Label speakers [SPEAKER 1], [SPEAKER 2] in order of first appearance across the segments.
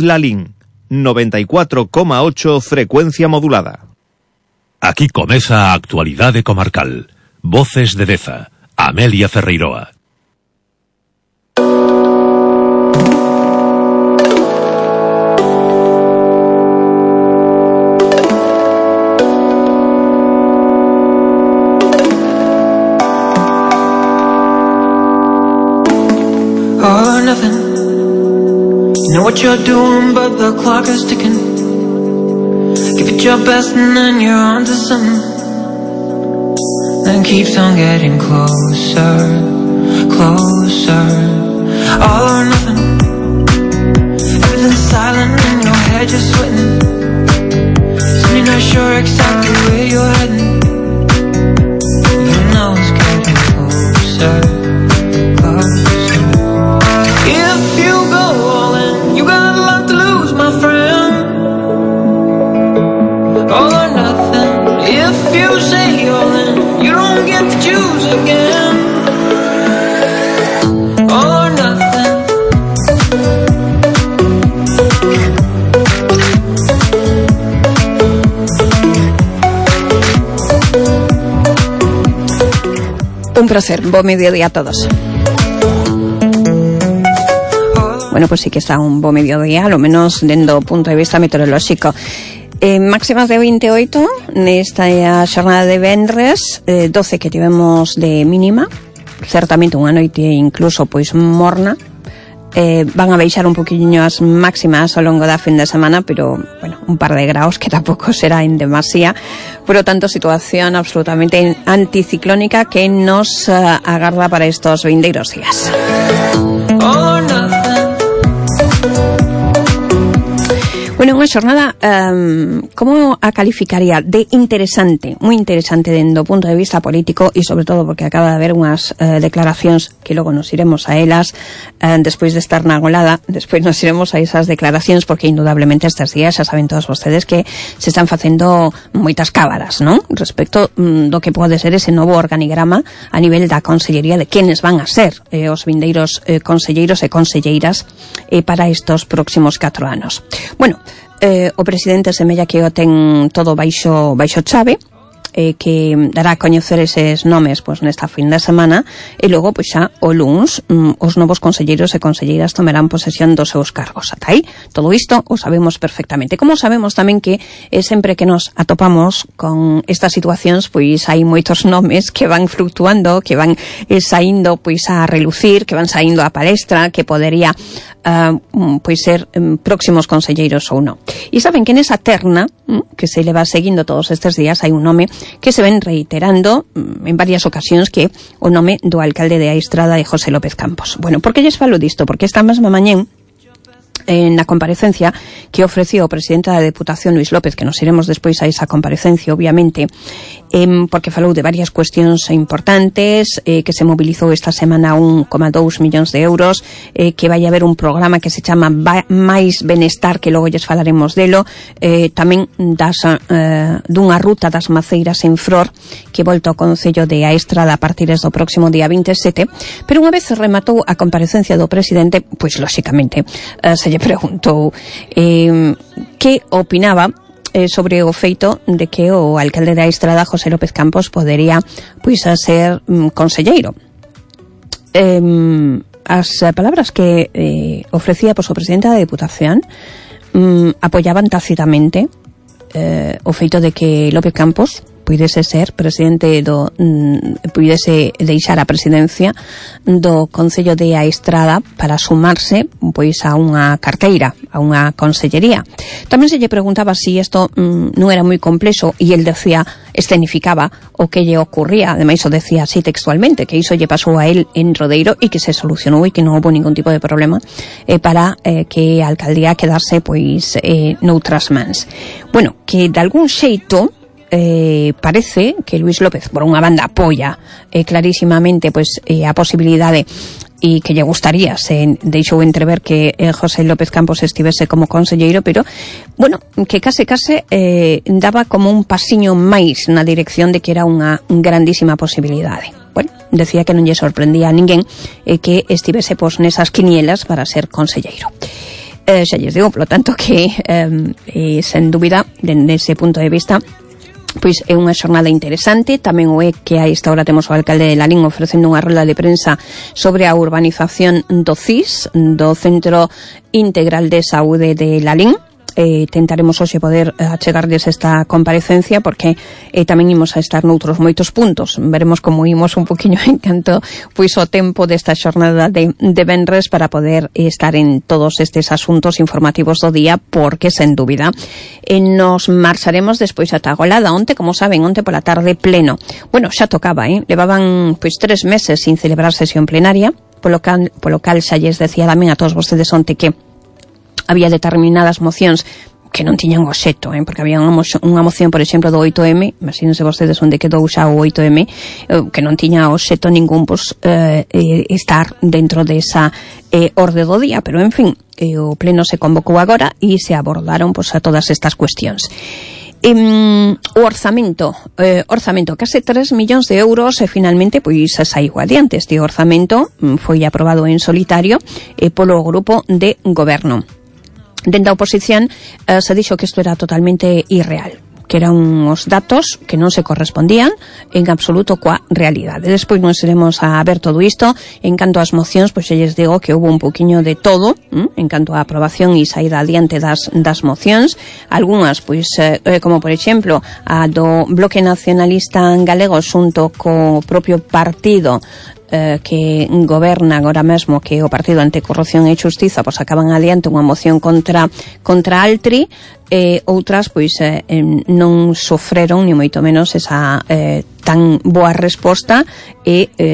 [SPEAKER 1] Lalín, 94,8 frecuencia modulada.
[SPEAKER 2] Aquí comeza a actualidade comarcal. Voces de Deza, Amelia Ferreiroa.
[SPEAKER 3] All or nothing. You know what you're doing, but the clock is ticking. Give it your best and then you're on to something. Then keeps on getting closer, closer. All or nothing. Everything's silent in your head, you're sweating. Soon you're not sure exactly where you're heading. You know it's getting closer, closer. If you go all in, you got a lot to lose, my friend. All or nothing. If you say all in, you don't get to choose again. All or nothing.
[SPEAKER 4] Un placer, buen mediodía a todos. Bueno, pues sí que está un bo mediodía, lo menos dentro do punto de vista meteorolóxico. Máximas de 28 nesta xornada de vendres, 12 que tivemos de mínima, certamente unha noite incluso pois morna. Van a baixar un poquinho as máximas ao longo da fin de semana, pero, bueno, un par de graus que tampouco será en demasía. Por lo tanto, situación absolutamente anticiclónica que nos agarda para estos vindeiros días. Bueno, unha xornada, como a calificaría? De interesante, moi interesante dentro do punto de vista político e sobre todo porque acaba de haber unhas declaracións que logo nos iremos a elas despois de estar na golada, despois nos iremos a esas declaracións porque indudablemente estes días xa saben todos vostedes que se están facendo moitas cábaras, non? Respecto do que pode ser ese novo organigrama a nivel da consellería de quenes van a ser os vindeiros conselleiros e conselleiras para estos próximos 4 anos. Bueno, o presidente semella que o ten todo baixo chave, que dará a coñecer eses nomes pois nesta fin de semana e logo pois xa o luns os novos conselleiros e conselleiras tomarán posesión dos seus cargos. Ata aí, todo isto o sabemos perfectamente. Como sabemos tamén que sempre que nos atopamos con estas situacións pois hai moitos nomes que van fluctuando, que van saindo pois a relucir, que van saindo a palestra, que podería pois ser próximos conselleiros ou non. E saben que nesa terna que se le va seguindo todos estes días hai un nome que se ven reiterando en varias ocasións, que o nome do alcalde de Aistrada de José López Campos. Bueno, por que lles falo disto? Porque esta mesma mañén na comparecencia que ofreció o presidente da Deputación, Luis López, que nos iremos despois a esa comparecencia, obviamente, porque falou de varias cuestións importantes, que se mobilizou esta semana 1,2 millóns de euros, que vai haber un programa que se chama Mais Benestar, que logo lles falaremos delo, tamén dunha ruta das maceiras en Fror, que volta ao Concello de Aestrada a partir do próximo día 27, pero unha vez rematou a comparecencia do presidente, pois, lóxicamente, se lle preguntou que opinaba sobre o feito de que o alcalde da Estrada, José López Campos, podería pois a ser conselleiro. As palabras que ofrecía pois o presidente da Deputación apoyaban tácitamente o feito de que López Campos puidese ser presidente puidese deixar a presidencia do Concello de Aestrada para sumarse pois a unha carteira, a unha consellería. Tamén se lle preguntaba si isto non era moi complexo e el decía, escenificaba o que lle ocurría, ademais o decía así textualmente, que iso lle pasou a él en Rodeiro e que se solucionou e que non houve ningún tipo de problema para que a alcaldía quedase pois noutras mans. Bueno, que de algún xeito parece que Luis López por unha banda apoia clarísimamente pois a posibilidade e que lle gustaría, se deixou entrever que José López Campos estivese como conselleiro, pero bueno, que case daba como un pasiño máis na dirección de que era unha grandísima posibilidade. Bueno, decía que non lle sorprendía a ninguén que estivese pois nesas quinielas para ser conselleiro. Xa lles digo, polo tanto, que sen dúbida, dende ese punto de vista, pois é unha xornada interesante. Tamén o é que a esta hora temos o alcalde de Lalín ofrecendo unha rolda de prensa sobre a urbanización do CIS, do Centro Integral de Saúde de Lalín. Tentaremos hoxe poder achegarles esta comparecencia porque tamén imos a estar noutros moitos puntos. Veremos como imos un poquinho en canto pois o tempo desta xornada de venres para poder estar en todos estes asuntos informativos do día, porque sen dúbida nos marcharemos despois ata Golada. Onte, como saben, onte pola tarde pleno. Bueno, xa tocaba, levaban pois 3 meses sin celebrar sesión plenaria, polo cal xa lles decía tamén a todos vostedes onte que había determinadas mocións que non tiñan obxecto, porque había unha moción, por exemplo, do 8M, imagínense vostedes onde quedou xa o 8M, que non tiña obxecto ningún estar dentro desa orde do día, pero en fin, o pleno se convocou agora e se abordaron a todas estas cuestións. O orzamento, case 3 millóns de euros finalmente pois saiu adiante. Este orzamento foi aprobado en solitario polo grupo de goberno. Dentro da oposición se dixo que isto era totalmente irreal, que eran uns datos que non se correspondían en absoluto coa realidade. Despois nos iremos a ver todo isto. En canto ás mocións, pois xa lles digo que houve un poquinho de todo, en canto á aprobación e saída adiante das mocións. Algúnas, pois, como por exemplo, a do Bloque Nacionalista Galego xunto co propio partido que goberna agora mesmo, que é o Partido Anticorrupción e Xustiza, pois acaban adiante unha moción contra Altri. Outras pois non sofreron ni moito menos esa tan boa resposta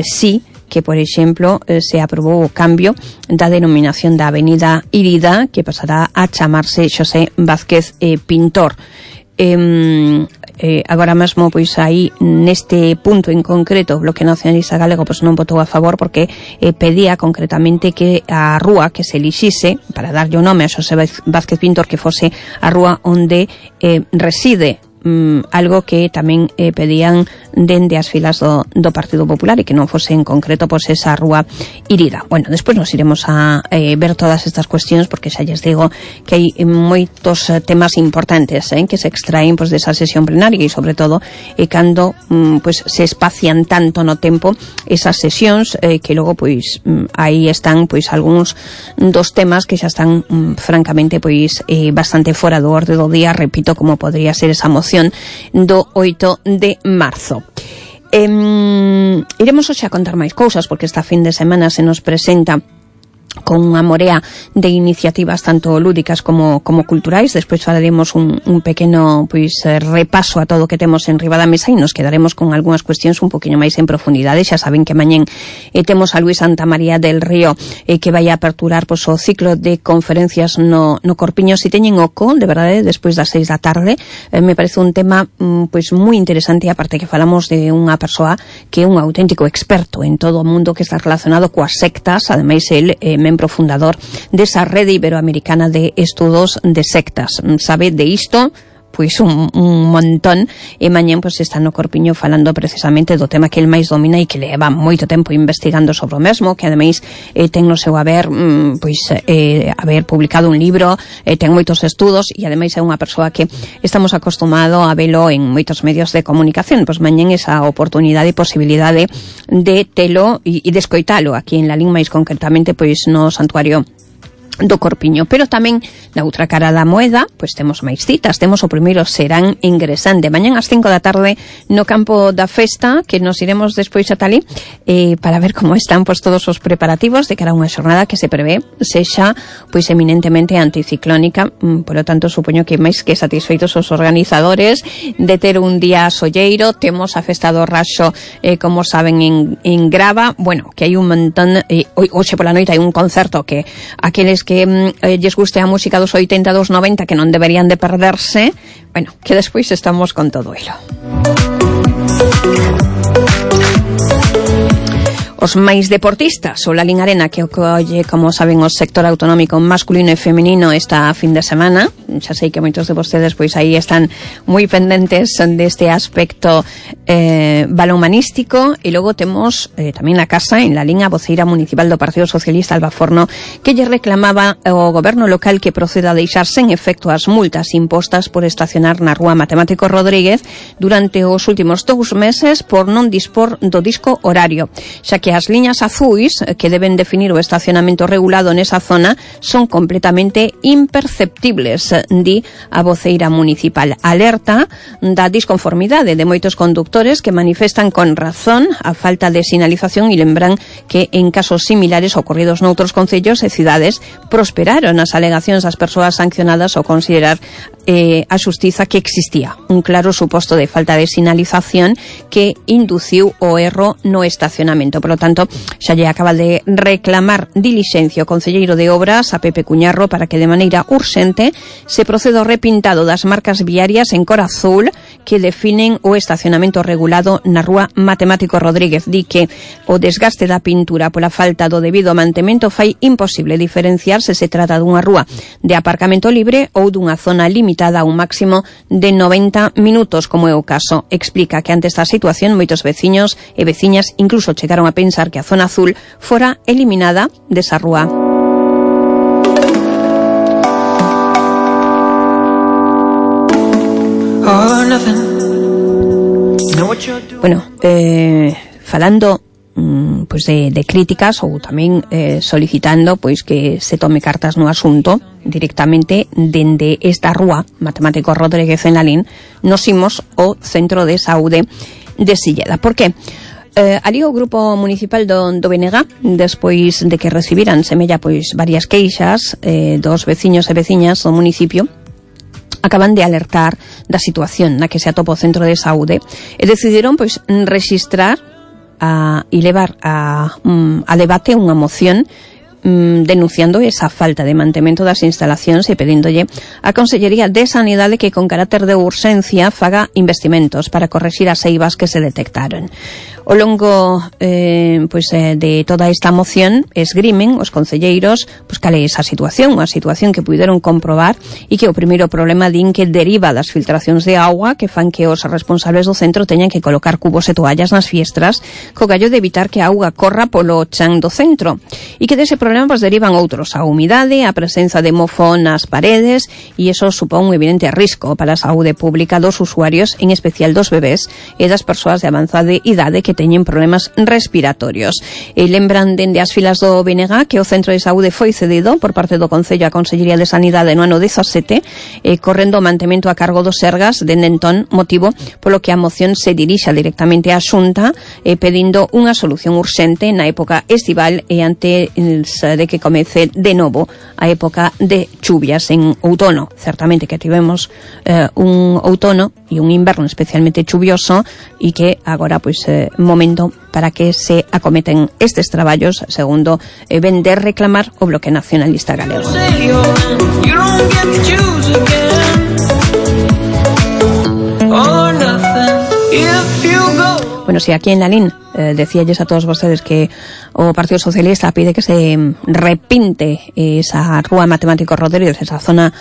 [SPEAKER 4] sí que, por exemplo, se aprobou o cambio da denominación da Avenida Irida, que pasará a chamarse Xosé Vázquez Pintor. Agora mesmo, pois aí neste punto en concreto o Bloque Nacionalista Galego pois non votou a favor porque pedía concretamente que a rúa que se elixise para darlle o nome a Xosé Vázquez Pintor que fose a rúa onde reside, algo que tamén pedían dende as filas do Partido Popular e que non fose en concreto pois esa rúa Irida. Bueno, despois nos iremos a ver todas estas cuestións porque xa lles digo que hai moitos temas importantes que se extraen pois desa sesión plenaria e sobre todo cando pois se espacian tanto no tempo esas sesións que logo pois aí están pois algúns dos temas que xa están francamente pois bastante fora do orde do día, repito, como podría ser esa moción do 8 de marzo. Iremos hoxe a contar máis cousas porque esta fin de semana se nos presenta con unha morea de iniciativas tanto lúdicas como culturais. Despois falaremos un pequeno pois repaso a todo o que temos en riba da mesa e nos quedaremos con algunhas cuestións un poquinho máis en profundidade. Xa saben que mañén temos a Luis Santamaría del Río que vai a aperturar pois o ciclo de conferencias no Corpiño. Si teñen oco, de verdade, despois das 6 da tarde, me parece un tema pois moi interesante, aparte que falamos de unha persoa que é un auténtico experto en todo o mundo que está relacionado coas sectas. Ademais, el membro fundador desa rede iberoamericana de estudos de sectas. Sabe de isto pois un montón e mañén pois está no Corpiño falando precisamente do tema que el máis domina e que leva moito tempo investigando sobre o mesmo, que ademais ten no seu haber haber publicado un libro, ten moitos estudos e ademais é unha persoa que estamos acostumados a velo en moitos medios de comunicación. Pois mañén esa oportunidade e posibilidade de telo e de escoitalo aquí en Lalín, máis concretamente pois no Santuario do Corpiño. Pero tamén na outra cara da moeda pois temos máis citas. Temos o primeiro Serán Ingresante mañán ás 5 da tarde no campo da festa, que nos iremos despois a Talí para ver como están pois todos os preparativos de cara a unha xornada que se prevé sexa pois eminentemente anticiclónica. Por lo tanto, supoño que máis que satisfeitos os organizadores de ter un día solleiro. Temos a festa do Raxo, como saben, en Grava. Bueno, que hai un montón. Hoxe pola noite hai un concerto que aqueles que lles guste a música dos 80 dos 90 que non deberían de perderse. Bueno, que despois estamos con todo elo. Os máis deportistas, o Lalín Arena, que ocolle, como saben, o sector autonómico masculino e feminino esta fin de semana, xa sei que moitos de vostedes pois aí están moi pendentes deste aspecto balonmanístico. E logo temos tamén na casa, en la liña, a voceira municipal do Partido Socialista, Alba Forno, que lle reclamaba ao goberno local que proceda a deixar sen efecto as multas impostas por estacionar na rúa Matemático Rodríguez durante os últimos 2 meses por non dispor do disco horario, xa que as liñas azuis que deben definir o estacionamento regulado nesa zona son completamente imperceptibles, di a voceira municipal. Alerta da disconformidade de moitos conductores que manifestan con razón a falta de sinalización e lembran que en casos similares ocorridos noutros concellos e cidades prosperaron as alegacións das persoas sancionadas ao considerar a xustiza que existía un claro suposto de falta de sinalización que induciu o erro no estacionamento. Por lo tanto, xa lle acaba de reclamar dilixencia o concelleiro de Obras, a Pepe Cuñarro, para que de maneira urxente se proceda ao repintado das marcas viarias en cor azul que definen o estacionamento regulado na rúa Matemático Rodríguez. Di que o desgaste da pintura pola falta do debido mantemento fai imposible diferenciar se se trata dunha rúa de aparcamento libre ou dunha zona limitada a un máximo de 90 minutos, como é o caso. Explica que ante esta situación moitos veciños e veciñas incluso chegaron a pensar que a zona azul fora eliminada desa rúa. Bueno, falando pois de críticas ou tamén solicitando pois que se tome cartas no asunto directamente dende esta rúa Matemático Rodríguez en Lalín, nos imos ao Centro de Saúde de Silleda. Por que? Ali o Grupo Municipal do BNG, despois de que recibiran semella pois varias queixas dos veciños e veciñas do municipio, acaban de alertar da situación na que se atopa o Centro de Saúde e decidiron pois registrar e levar a debate unha moción denunciando esa falta de mantemento das instalacións e pedíndolle á Consellería de Sanidade que con carácter de urxencia faga investimentos para correxir as eivas que se detectaron. Ao longo de toda esta moción esgrimen os concelleiros pois cal é esa situación, unha situación que puideron comprobar e que o primeiro problema din que deriva das filtracións de auga que fan que os responsables do centro teñan que colocar cubos e toallas nas fiestras co gallo de evitar que a auga corra polo chan do centro e que dese problema pois derivan outros, a humidade, a presenza de mofo nas paredes e iso supón un evidente risco para a saúde pública dos usuarios, en especial dos bebés e das persoas de avanzada idade que teñen problemas respiratorios. E lembran dende as filas do BNG que o Centro de Saúde foi cedido por parte do Concello á Consellería de Sanidade no ano 17, correndo o mantemento a cargo dos Sergas dende entón, motivo polo que a moción se dirixa directamente á Xunta pedindo unha solución urxente na época estival e antes de que comece de novo a época de chuvias en outono. Certamente que tivemos un outono e un inverno especialmente chuvioso e que agora pois momento para que se acometen estes traballos, segundo ven de reclamar o Bloque Nacionalista Galego. Bueno, si aquí en Lalín decíalles a todos vostedes que o Partido Socialista pide que se repinte esa rúa Matemático Rodríguez, esa zona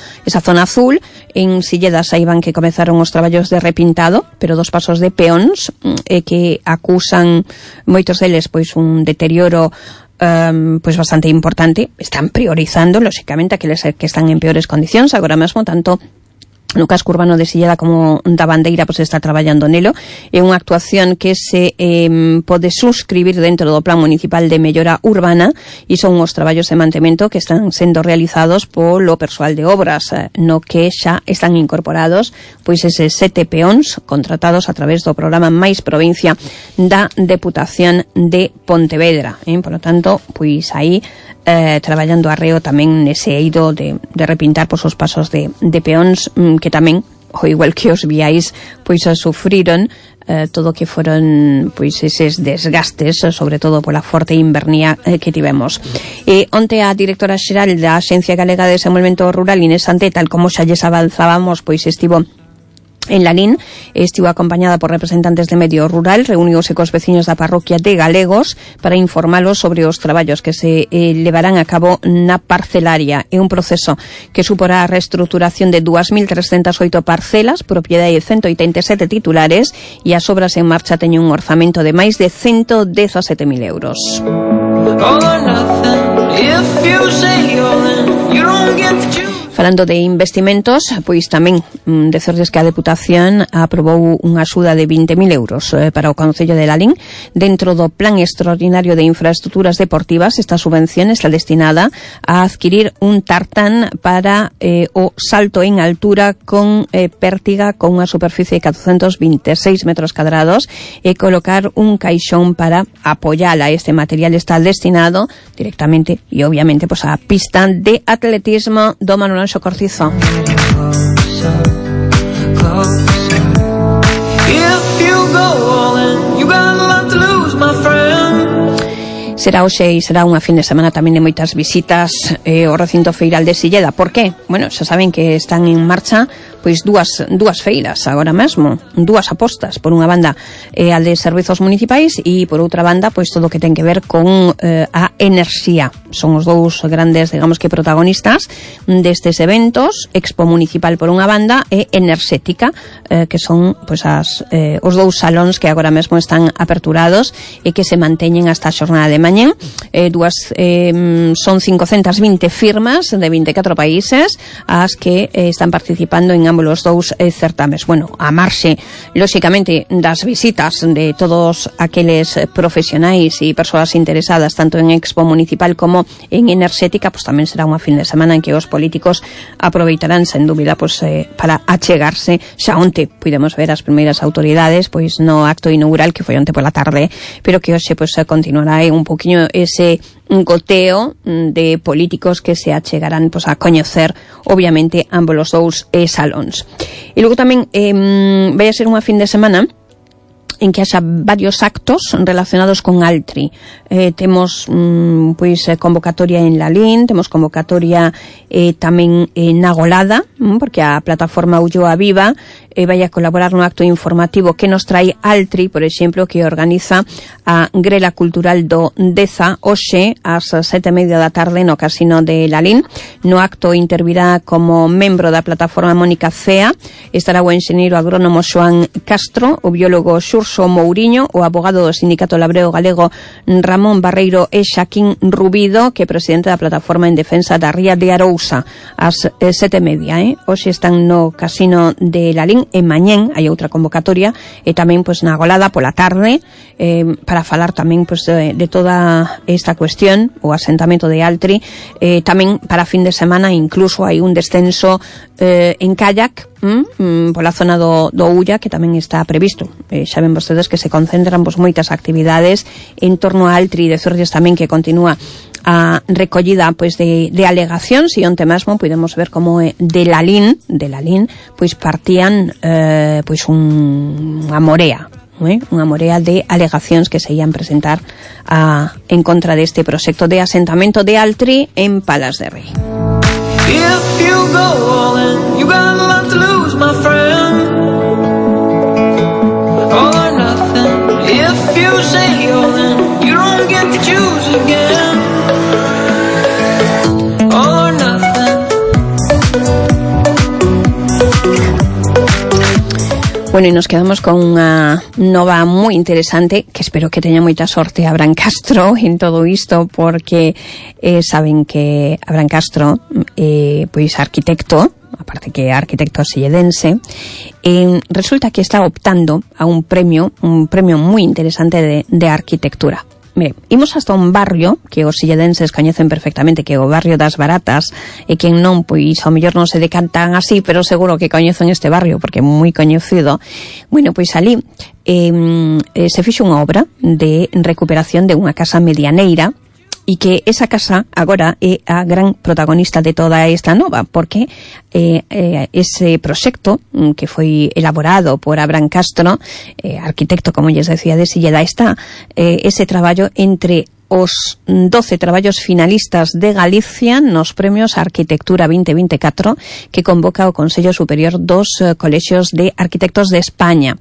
[SPEAKER 4] azul, en Silleda saiban que comezaron os traballos de repintado, pero dos pasos de peóns que acusan moitos deles pois un deterioro pois bastante importante. Están priorizando lóxicamente aqueles que están en peores condicións agora mesmo, tanto no casco urbano de Silleda como da Bandeira pois está traballando nelo. É unha actuación que se pode suscribir dentro do Plan Municipal de Mellora Urbana e son os traballos de mantemento que están sendo realizados polo persoal de obras, no que xa están incorporados pois eses 7 peóns contratados a través do programa Mais Provincia da Deputación de Pontevedra. Por lo tanto, pois aí traballando arreo tamén nese eido de repintar pois os pasos de peóns que tamén, ao igual que os viais, pois sufriron todo o que foron pois eses desgastes, sobre todo pola forte invernía que tivemos. Onte a directora xeral da Axencia Galega de Desenvolvemento Rural, Inés Sante, tal como xa lles avanzábamos, pois estivo En Lalín estivo acompañada por representantes de medio rural, reuniuse cos veciños da parroquia de Galegos para informalos sobre os traballos que se levarán a cabo na parcelaria. É un proceso que suporá a reestruturación de 2.308 parcelas, propiedade de 187 titulares, e as obras en marcha teñen un orzamento de máis de 117.000 euros. Falando de investimentos, pois tamén decerles que a Deputación aprobou unha axuda de 20.000 euros para o Concello de Lalín. Dentro do Plan Extraordinario de Infraestructuras Deportivas, esta subvención está destinada a adquirir un tartán para o salto en altura con pértiga con unha superficie de 426 metros cadrados e colocar un caixón para apoyala. Este material está destinado directamente e obviamente pues, a pista de atletismo do Manuel Cortizo. Será hoxe e será unha fin de semana tamén de moitas visitas ao recinto feiral de Silleda. Por qué? Bueno, xa saben que están en marcha pois dúas feiras agora mesmo, dúas apostas. Por unha banda a de servizos municipais e por outra banda pois todo o que ten que ver con a enerxía. Son os dous grandes, digamos que protagonistas destes eventos, Expo Municipal por unha banda e Enerxética, que son pois os dous salóns que agora mesmo están aperturados e que se manteñen hasta a xornada de mañá. Son 520 firmas de 24 países as que están participando en ambos os dous certames. Bueno, a marxe, lóxicamente, das visitas de todos aqueles profesionais e persoas interesadas tanto en Expo Municipal como en Enerxética, pues tamén será unha fin de semana en que os políticos aproveitarán, sen dúbida, pues, para achegarse. Xa onte pudemos ver as primeiras autoridades pois no acto inaugural que foi onte pola tarde, pero que hoxe pues, continuará un poquinho ese goteo de políticos que se achegarán pues, a coñecer obviamente ambos os dous salóns. E logo tamén vai a ser unha fin de semana en que haxa varios actos relacionados con Altri. Temos pois convocatoria en Lalín, temos convocatoria tamén na Golada, porque a plataforma Ulloa Viva vai a colaborar no acto informativo que nos trai Altri, por exemplo, que organiza a Grela Cultural do Deza hoxe ás 7:30 da tarde no Casino de Lalín. No acto intervirá como membro da plataforma Mónica Cea, estará o enxeñeiro agrónomo Xoán Castro, o biólogo Xurso Mouriño, o abogado do Sindicato Labreo Galego Ramón Barreiro e Xaquín Rubido, que é presidente da plataforma en defensa da ría de Arousa, ás 7:30. Hoxe están no Casino de Lalín e mañén hai outra convocatoria e tamén pois na Golada pola tarde para falar tamén pois de toda esta cuestión, o asentamento de Altri, tamén para fin de semana incluso hai un descenso en kayak pola zona do Ulla, que tamén está previsto. Xa ven vostedes que se concentran pois moitas actividades en torno a Altri, de Zordes tamén que continúa a recollida pois de alegacións, e onte mesmo podemos ver como de Lalín pois partían pois unha morea de alegacións que se ian presentar en contra deste proxecto de asentamento de Altri en Palas de Rei.
[SPEAKER 3] If you go all in, you got a lot to lose, my friend. All or nothing. If you say all in, you don't get to choose again. All or nothing.
[SPEAKER 4] Bueno, e nos quedamos con unha nova moi interesante, que espero que teña moita sorte Abraham Castro en todo isto, porque saben que Abraham Castro pois arquitecto, aparte que é arquitecto silledense, resulta que está optando a un premio moi interesante de arquitectura. Mire, imos hasta un barrio que os silledenses coñecen perfectamente, que é o barrio das Baratas, e quen non, pois ao mellor non se decantan así, pero seguro que coñecen este barrio porque é moi coñecido. Bueno, pois ali se fixo unha obra de recuperación de unha casa medianeira, e que esa casa agora é a gran protagonista de toda esta nova, porque ese proxecto que foi elaborado por Abraham Castro, arquitecto, como lles decía, de Silleda, está ese traballo entre os 12 traballos finalistas de Galicia nos premios Arquitectura 2024 que convoca o Consello Superior dos Colexios de Arquitectos de España.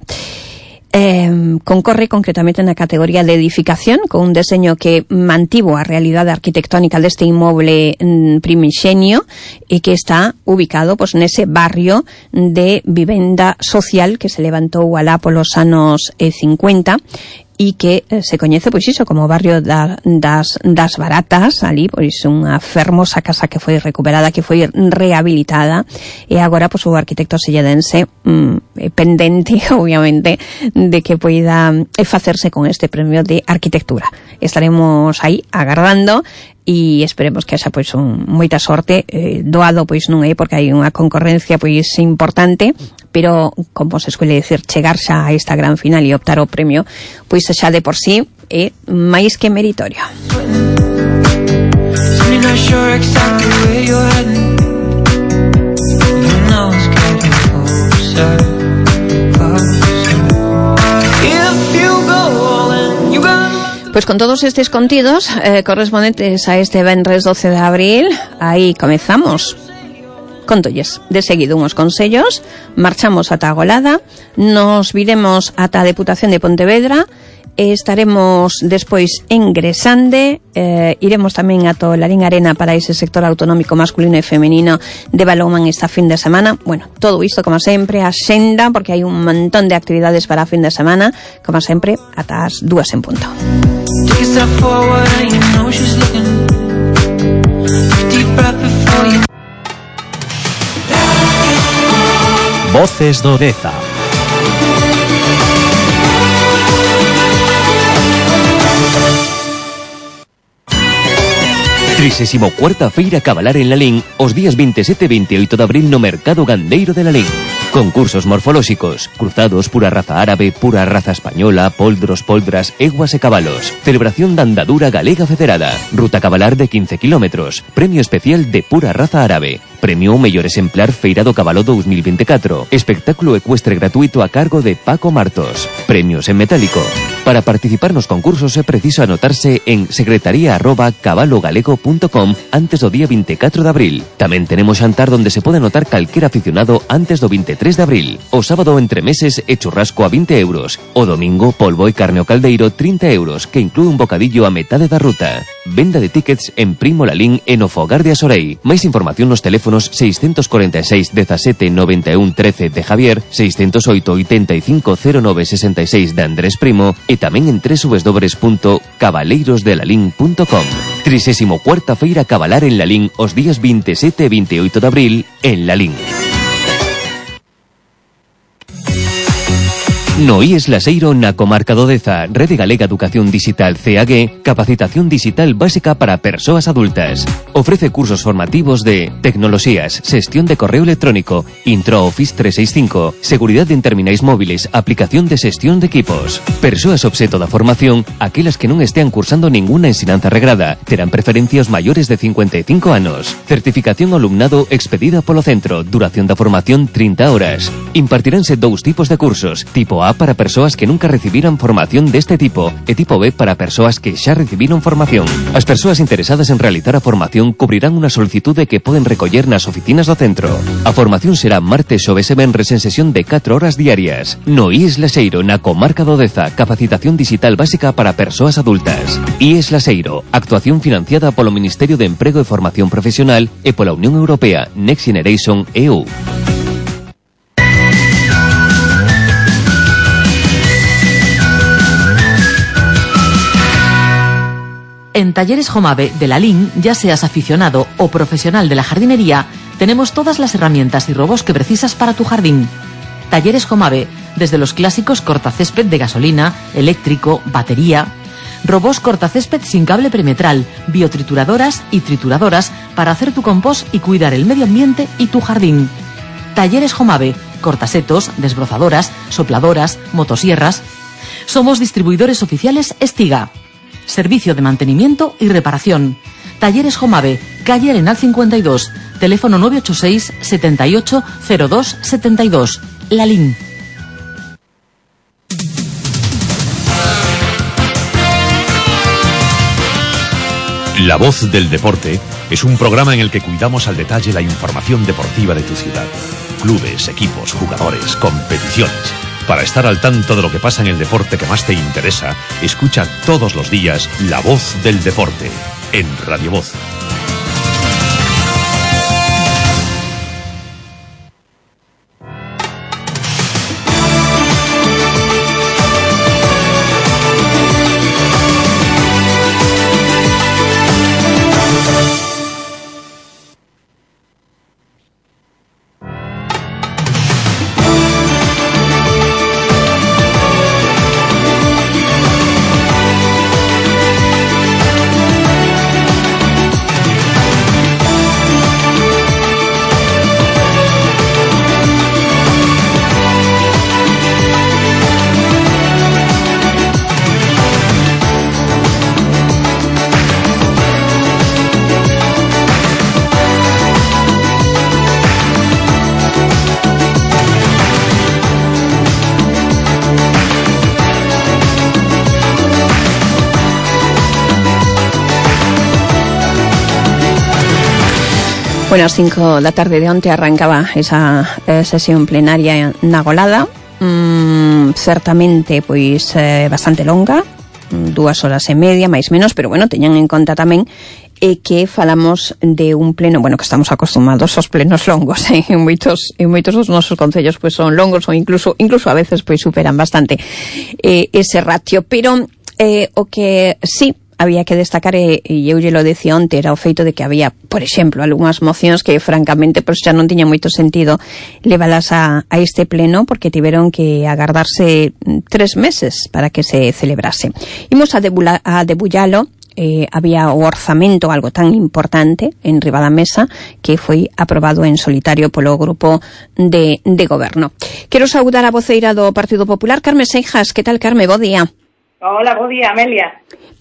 [SPEAKER 4] Concorre concretamente na categoría de edificación, con un deseño que mantivo a realidade arquitectónica deste inmoble primixenio e que está ubicado nese barrio de vivenda social que se levantou alá polos anos 50 e que se coñece, pois iso, como o barrio das Baratas, ali, pois unha fermosa casa que foi recuperada, que foi rehabilitada, e agora, pois, o arquitecto selledense pendente, obviamente, de que poida facerse con este premio de arquitectura. Estaremos aí agardando e esperemos que haxa pois moita sorte. Doado pois non é, porque hai unha concorrencia pois importante, pero como se suele decir, chegar xa a esta gran final e optar o premio, pois xa de por sí é máis que meritorio. Pois con todos estes contidos correspondentes a este venres 12 de abril, aí comezamos. Contolles de seguido unhos consellos, marchamos ata a Golada, nos viremos ata a Deputación de Pontevedra, estaremos despois en Gresande, iremos tamén ata o Larín Arena para ese sector autonómico masculino e femenino de balonmán esta fin de semana. Bueno, todo isto como sempre, a xenda, porque hai un montón de actividades para a fin de semana, como sempre, ata as 2 en punto.
[SPEAKER 2] Voces do Deza. Trisésimo cuarta Feira Cabalar en Lalín os días 27 e 28 de abril no Mercado Gandeiro de Lalín. Concursos morfolóxicos, cruzados, pura raza árabe, pura raza española, poldros, poldras, eguas e cabalos. Celebración da andadura galega federada. Ruta cabalar de 15 kilómetros. Premio especial de pura raza árabe. Premio mellor exemplar Feira do Cabalo 2024. Espectáculo ecuestre gratuito a cargo de Paco Martos. Premios en metálico. Para participar nos concursos é preciso anotarse en secretaría@cabalogalego.com antes do día 24 de abril. Tamén tenemos xantar donde se pode anotar calquera aficionado antes do 23 de abril. O sábado entre meses e churrasco a 20 euros. O domingo polvo e carne ao caldeiro 30 euros, que inclúe un bocadillo a metade da ruta. Venda de tickets en Primo Lalín e no Fogar de Asorei. Máis información nos teléfonos 646 17 91 13 de Javier, 608 85 09 66 de Andrés Primo e tamén en www.cabaleirosdelalín.com. 34ª Feira Cabalar en Lalín os días 27 e 28 de abril en Lalín. No IES Laseiro na comarca do Deza, Rede Galega Educación Digital CAG, capacitación digital básica para persoas adultas. Ofrece cursos formativos de tecnoloxías, xestión de correo electrónico, Intro Office 365, seguridade en terminais móviles, aplicación de xestión de equipos. Persoas obxeto da formación, aquelas que non estean cursando ninguna ensinanza regrada, terán preferencia os maiores de 55 anos. Certificación ao alumnado expedida polo centro, duración da formación 30 horas. Impartiránse dous tipos de cursos, tipo A para persoas que nunca recibiran formación deste tipo e tipo B para persoas que xa recibiron formación. As persoas interesadas en realizar a formación cubrirán unha solicitude que poden recoller nas oficinas do centro. A formación será martes, xoves e venres en sesión de 4 horas diarias. No IES Laseiro, na comarca do Deza, capacitación digital básica para persoas adultas. IES Laseiro, actuación financiada polo Ministerio de Emprego e Formación Profesional e pola Unión Europea Next Generation EU.
[SPEAKER 1] En Talleres Jomave de Lalín, ya seas aficionado o profesional de la jardinería, tenemos todas las herramientas y robos que precisas para tu jardín. Talleres Jomave, desde los clásicos cortacésped de gasolina, eléctrico, batería, robos cortacésped sin cable perimetral, biotrituradoras y trituradoras para hacer tu compost y cuidar el medio ambiente y tu jardín. Talleres Jomave, cortasetos, desbrozadoras, sopladoras, motosierras. Somos distribuidores oficiales Estiga. Servicio de mantenimiento y reparación. Talleres Jomave, calle Arenal 52, teléfono 986 78 02 72, Lalín.
[SPEAKER 5] La Voz del Deporte es un programa en el que cuidamos al detalle la información deportiva de tu ciudad. Clubes, equipos, jugadores, competiciones. Para estar al tanto de lo que pasa en el deporte que más te interesa, escucha todos los días La Voz del Deporte en Radio Voz.
[SPEAKER 4] Bueno, ás 5 da tarde de onte arrancaba esa sesión plenaria na Golada, certamente pois bastante longa, 2 horas e media, máis menos, pero bueno, teñan en conta tamén que falamos de un pleno, bueno, que estamos acostumados aos plenos longos, en moitos dos nosos concellos pois son longos ou incluso a veces pois superan bastante ese ratio, pero o que sí había que destacar, e eu lle lo decía onte, era o feito de que había, por exemplo, algunhas mocións que francamente pois xa non tiña moito sentido levalas a este pleno, porque tiveron que agardarse 3 meses para que se celebrase. Imos a debullalo. Había o orzamento, algo tan importante, en riba da mesa, que foi aprobado en solitario polo grupo de goberno. Quero saudar a voceira do Partido Popular, Carme Seijas. Que tal, Carme? Bo día.
[SPEAKER 6] Hola, bo día, Amelia.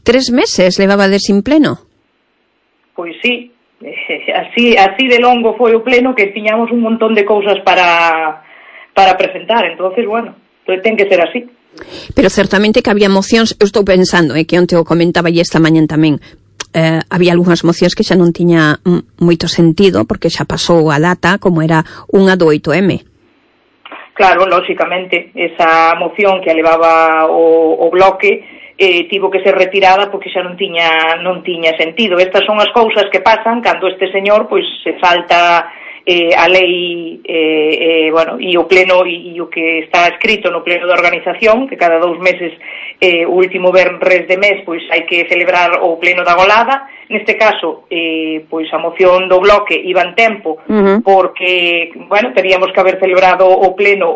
[SPEAKER 4] 3 meses levabades sin pleno?
[SPEAKER 6] Pois sí, así de longo foi o pleno, que tiñamos un montón de cousas para presentar, entonces, bueno, ten que ser así.
[SPEAKER 4] Pero certamente que había mocións, eu estou pensando, que onte o comentaba e esta mañan tamén, había algunhas mocións que xa non tiña moito sentido, porque xa pasou a data, como era unha do 8M.
[SPEAKER 6] Claro, lóxicamente, esa moción que levaba o bloque tivo que ser retirada porque xa non tiña sentido. Estas son as cousas que pasan cando este señor pois se salta a lei, bueno, e o pleno e o que está escrito no pleno de organización, que cada 2 meses o último venres de mes pois hai que celebrar o pleno da Golada. Neste caso, pois a moción do bloque iba en tempo, porque, bueno, teríamos que haber celebrado o pleno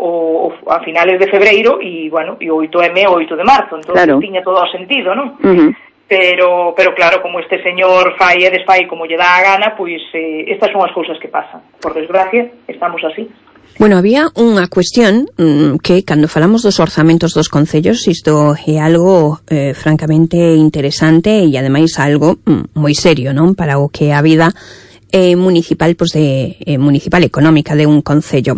[SPEAKER 6] a finales de febreiro e, bueno, e o 8M o 8 de marzo, entón claro, tiña todo o sentido, non? Pero claro, como este señor fai e desfai como lle dá a gana, pois estas son as cousas que pasan. Por desgracia, estamos así.
[SPEAKER 4] Bueno, había unha cuestión que, cando falamos dos orzamentos dos concellos, isto é algo francamente interesante e, ademais, algo moi serio, non? Para o que a vida municipal, pois municipal económica de un concello.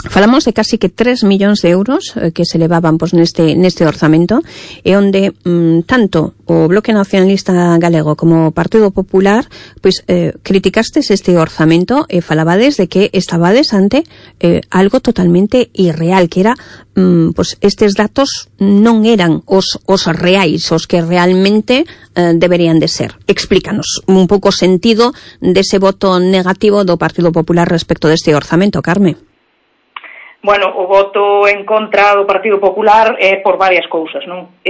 [SPEAKER 4] Falamos de casi que 3 millóns de euros que se levaban pois neste orzamento, e onde tanto o Bloque Nacionalista Galego como o Partido Popular pois criticastes este orzamento e falabades de que estabades ante algo totalmente irreal, que era pois estes datos non eran os reais, os que realmente deberían de ser. Explícanos un pouco o sentido dese voto negativo do Partido Popular respecto deste orzamento, Carme.
[SPEAKER 6] Bueno, o voto en contra do Partido Popular é por varias cousas, non?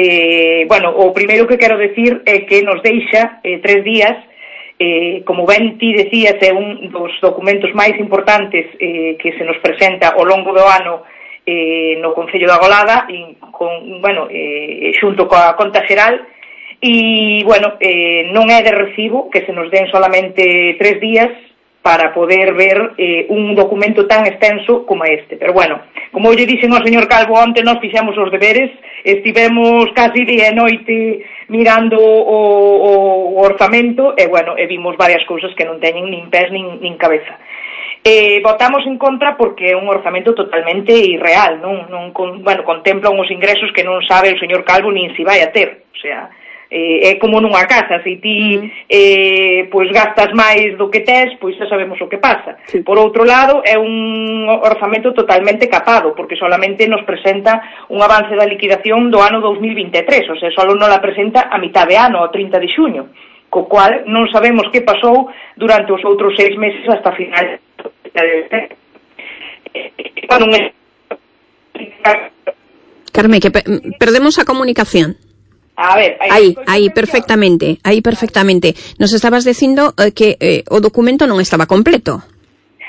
[SPEAKER 6] Bueno, o primeiro que quero decir é que nos deixa 3 días, como ben ti decías, é un dos documentos máis importantes que se nos presenta ao longo do ano no Concello da Golada, e xunto coa conta xeral, e, bueno, non é de recibo que se nos den solamente 3 días para poder ver un documento tan extenso como este. Pero bueno, como eu lle dixen ao señor Calvo onte, nós fixemos os deberes, estivemos casi día e noite mirando o orzamento, e bueno, e vimos varias cousas que non teñen nin pés nin cabeza. Votamos en contra porque é un orzamento totalmente irreal, contempla uns ingresos que non sabe o señor Calvo nin si vai a ter, o sea, é como nunha casa, se ti pois gastas máis do que tes, pois xa sabemos o que pasa. Sí. Por outro lado, é un orzamento totalmente capado, porque solamente nos presenta un avance da liquidación do ano 2023, o sea, só non la presenta a mitad de ano, ao 30 de xuño, co cual non sabemos que pasou durante os outros 6 meses hasta final.
[SPEAKER 4] Carmen, que perdemos a comunicación.
[SPEAKER 6] A ver,
[SPEAKER 4] aí perfectamente. Nos estabas dicindo que o documento non estaba completo.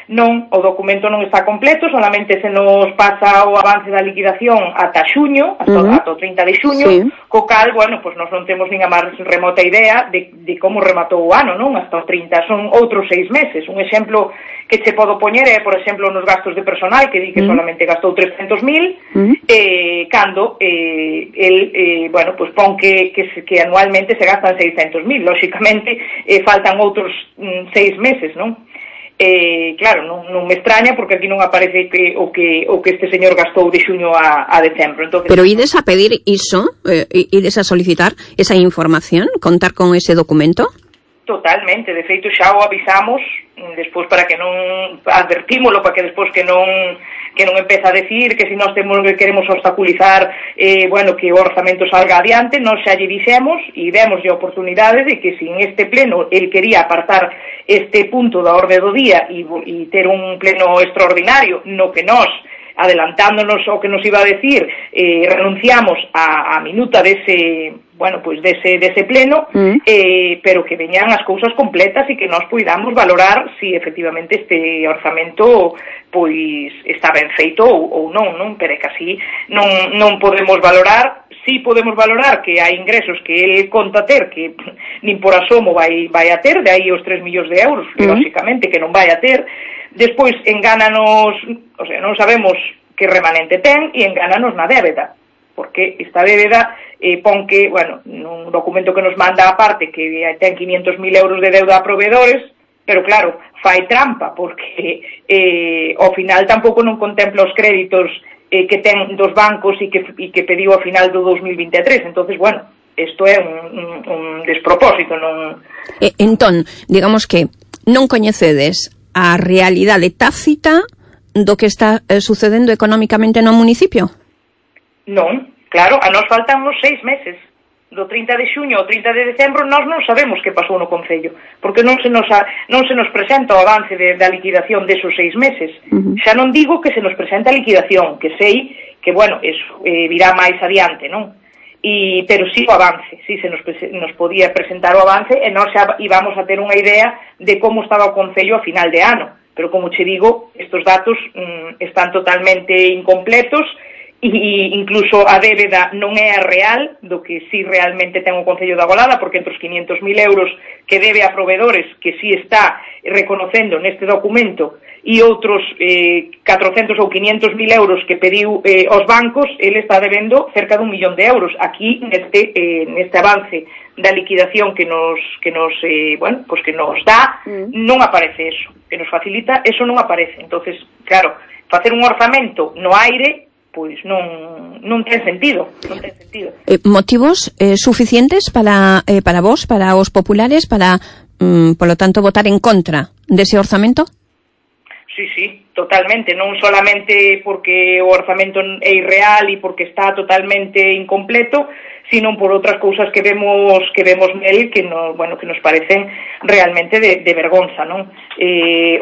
[SPEAKER 6] Non, o documento non está completo, solamente se nos pasa o avance da liquidación ata xuño, ata o 30 de xuño, sí. Co cal, bueno, pues nos non temos nin a máis remota idea de como rematou o ano, non? Hasta o 30, son outros 6 meses. Un exemplo que che podo poñer é, por exemplo, nos gastos de personal, que di que solamente gastou 300.000, cando bueno, pues pon que anualmente se gastan 600.000, lóxicamente faltan outros 6 meses, non? Claro, non me extraña porque aquí non aparece o que este señor gastou de xuño a decembro. Entonces,
[SPEAKER 4] pero ides a pedir iso, ides a solicitar esa información, contar con ese documento?
[SPEAKER 6] Totalmente, de feito xa o avisamos despois para que non advertímolo, para que despois que non empeza a decir que se nós queremos obstaculizar bueno, que o orzamento salga adiante, nós xa lle dixemos e demos a oportunidade de que se en este pleno el quería apartar este punto da orde do día e ter un pleno extraordinario no que nós, adelantándonos ao que nos iba a decir, renunciamos a minuta dese, bueno, pues dese pleno, pero que veñan as cousas completas e que nós puidamos valorar si efectivamente este orzamento pois está ben feito ou non, pero é que así non podemos valorar. Sí podemos valorar que hai ingresos que el conta ter que nin por asomo vai a ter, de aí os 3 millóns de euros, que lóxicamente que non vai a ter. Despois engánanos, o sea, non sabemos que remanente ten e engánanos na débeda, porque esta débeda pon que, bueno, nun documento que nos manda aparte que ten 500.000 euros de deuda a proveedores, pero claro, fai trampa, porque ao final tampouco non contempla os créditos que ten dos bancos e que pediu ao final do 2023, entonces, bueno, isto é un despropósito, non...
[SPEAKER 4] Entón, digamos que non coñecedes a realidade tácita do que está sucedendo económicamente no municipio?
[SPEAKER 6] Non, claro, a nos faltan uns 6 meses. Do 30 de xuño ao 30 de decembro nós non sabemos que pasou no Concello, porque non se nos presenta o avance da liquidación desos 6 meses. Xa non digo que se nos presenta a liquidación, que sei que, bueno, eso virá máis adiante, non? Pero sí o avance, sí se nos podía presentar o avance e nós xa íbamos a ter unha idea de como estaba o Concello a final de ano. Pero, como che digo, estos datos están totalmente incompletos e incluso a débeda non é a real do que sí realmente ten o Concello da Golada, porque entre os 500.000 euros que debe a proveedores, que sí está reconocendo neste documento, e outros 400 ou 500.000 euros que pediu aos bancos, ele está debendo cerca de 1 millón de euros. Aquí, neste avance da liquidación que nos bueno, pues que nos dá, non aparece eso, que nos facilita, eso non aparece. Entonces, claro, facer un orzamento no aire, pois non ten sentido,
[SPEAKER 4] motivos suficientes para vos, para os populares, para, polo tanto, votar en contra dese orzamento?
[SPEAKER 6] Sí, totalmente, non solamente porque o orzamento é irreal e porque está totalmente incompleto, sino por outras cousas que vemos nel que nos parecen realmente de vergonza, non?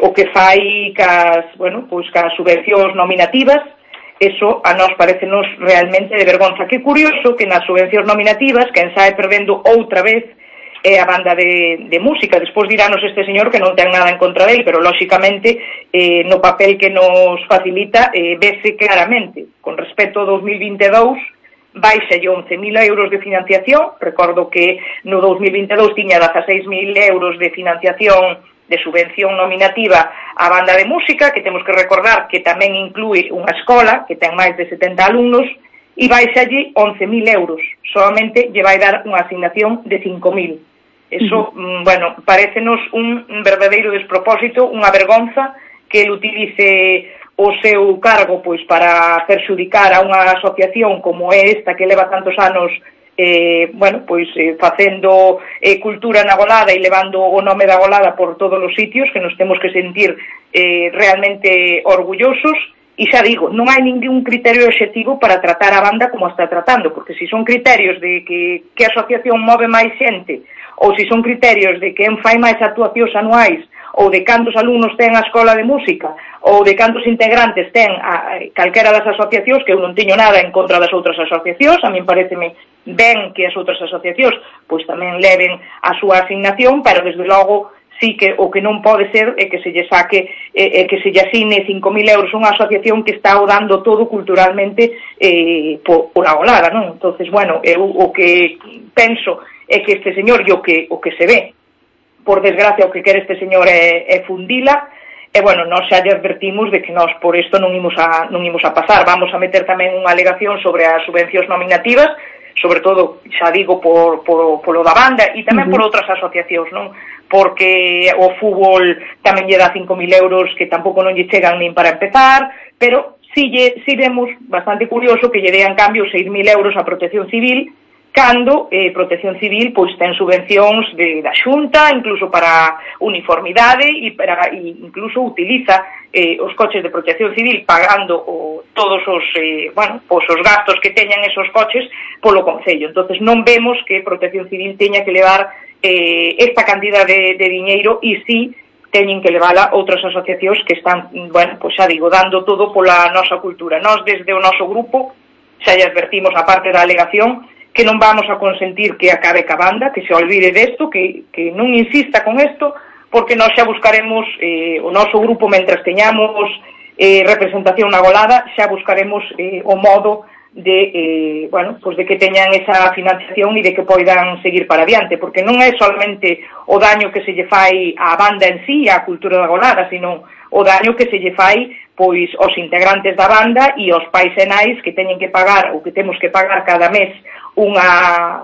[SPEAKER 6] O que fai cas subvencións nominativas, eso a nós parecenos realmente de vergonza. Que curioso que nas subvencións nominativas quen sae perdendo outra vez é a banda de música. Despois dirános este señor que non ten nada en contra dele, pero lóxicamente no papel que nos facilita vese claramente. Con respecto ao 2022 baixa 11.000 euros de financiación. Recordo que no 2022 tiña 16.000 euros de financiación de subvención nominativa á banda de música, que temos que recordar que tamén inclúe unha escola que ten máis de 70 alumnos, e baixa allí 11.000 euros. Solamente lle vai dar unha asignación de 5.000. Eso, parécenos un verdadeiro despropósito, unha vergonza que ele utilice o seu cargo pois para perxudicar a unha asociación como é esta que leva tantos anos facendo cultura na Golada e levando o nome da Golada por todos os sitios, que nos temos que sentir realmente orgullosos. E xa digo, non hai ningún criterio obxectivo para tratar a banda como está tratando, porque se son criterios de que a asociación move máis xente, ou se son criterios de que fai máis actuacións anuais, ou de cantos alumnos ten a escola de música, ou de cantos integrantes ten calquera das asociacións, que eu non teño nada en contra das outras asociacións, a min pareceme ben que as outras asociacións pois tamén leven a súa asignación, pero desde logo sí que o que non pode ser é que se lle saque que se lle asigne 5.000 euros unha asociación que está o dando todo culturalmente pola Golada, non? Entonces, eu o que penso é que este señor e o que se ve, por desgracia, o que quere este señor é fundila, e nós xa lle advertimos de que nós por isto non imos a pasar. Vamos a meter tamén unha alegación sobre as subvencións nominativas, sobre todo, xa digo, polo da banda e tamén por outras asociacións, non? Porque o fútbol tamén lle dá 5.000 euros que tampouco non lle chegan nin para empezar, pero si vemos bastante curioso que lle dean cambio 6.000 euros a Protección Civil, cando Protección Civil pois ten subvencións da Xunta, incluso para uniformidade e incluso utiliza os coches de Protección Civil pagando todos os os gastos que teñan esos coches polo Concello. Entonces non vemos que Protección Civil teña que levar esta cantidad de diñeiro e si teñen que levala outras asociacións que están, xa digo, dando todo pola nosa cultura. Nós desde o noso grupo xa lle advertimos a parte da alegación que non vamos a consentir que acabe ca banda, que se olvide desto, que non insista con isto, porque nós xa buscaremos, o noso grupo, mentras teñamos representación na Golada, xa buscaremos o modo de, de que teñan esa financiación e de que poidan seguir para adiante, porque non é solamente o daño que se lle fai á banda en sí, á cultura da Golada, sino o daño que se lle fai pois aos integrantes da banda e aos pais e nais que teñen que pagar ou que temos que pagar cada mes unha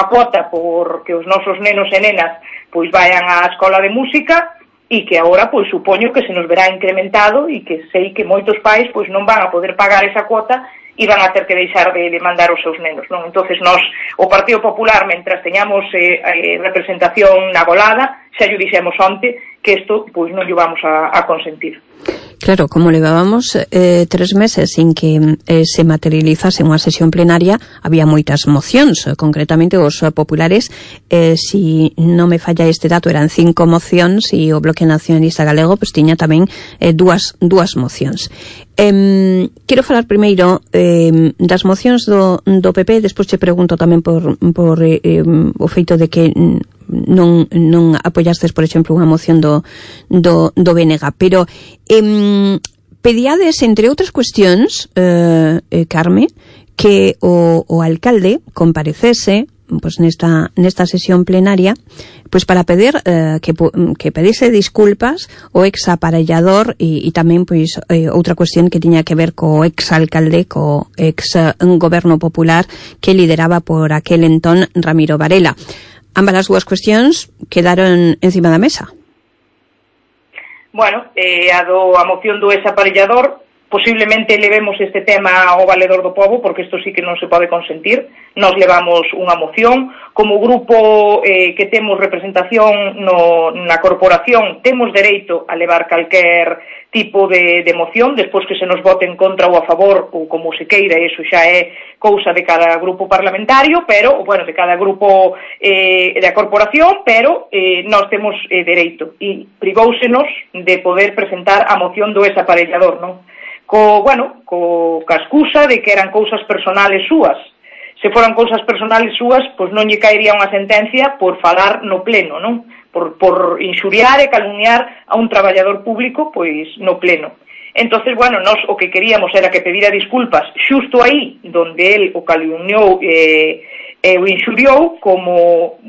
[SPEAKER 6] cuota por que os nosos nenos e nenas pois vayan á escola de música e que agora pois supoño que se nos verá incrementado e que sei que moitos pais pois non van a poder pagar esa cuota e van a ter que deixar de mandar os seus nenos, non? Entonces nós, o Partido Popular, mentras teñamos representación na Golada, xa lle dixemos onte que isto pois non lle vamos a consentir.
[SPEAKER 4] Claro, como levábamos 3 meses sin que se materializase unha sesión plenaria, había moitas mocións, concretamente os populares, si non me falla este dato, eran 5 mocións e o Bloque Nacionalista Galego pues tiña tamén dúas mocións. Quero falar primeiro das mocións do PP, despois te pregunto tamén por o feito de que non apoyastes, por exemplo, unha moción do BNG, pero pedíades, entre outras cuestións, Carme, que o alcalde comparecese pues nesta sesión plenaria pues para pedir que pedise disculpas o ex-aparellador e tamén pois outra cuestión que tiña que ver co ex-alcalde, co ex-goberno popular que lideraba por aquel entón Ramiro Varela. Ambas as dúas cuestións quedaron encima da mesa.
[SPEAKER 6] A moción do ex-aparellador, posiblemente levemos este tema ao Valedor do Pobo, porque isto sí que non se pode consentir. Nos levamos unha moción. Como grupo que temos representación na corporación, temos dereito a levar calquer tipo de moción, despois que se nos vote en contra ou a favor, ou como se queira, iso xa é cousa de cada grupo parlamentario, pero, de cada grupo da corporación, pero nós temos dereito. E privóusenos de poder presentar a moción do ex-aparellador, non? Ca excusa de que eran cousas personales súas. Se foran cousas personales súas, pois non lle caería unha sentencia por falar no pleno, non? Por inxuriar e calumniar a un traballador público, pois no pleno. Entonces, nós o que queríamos era que pedira disculpas xusto aí donde el o calumniou e o inxuriou, como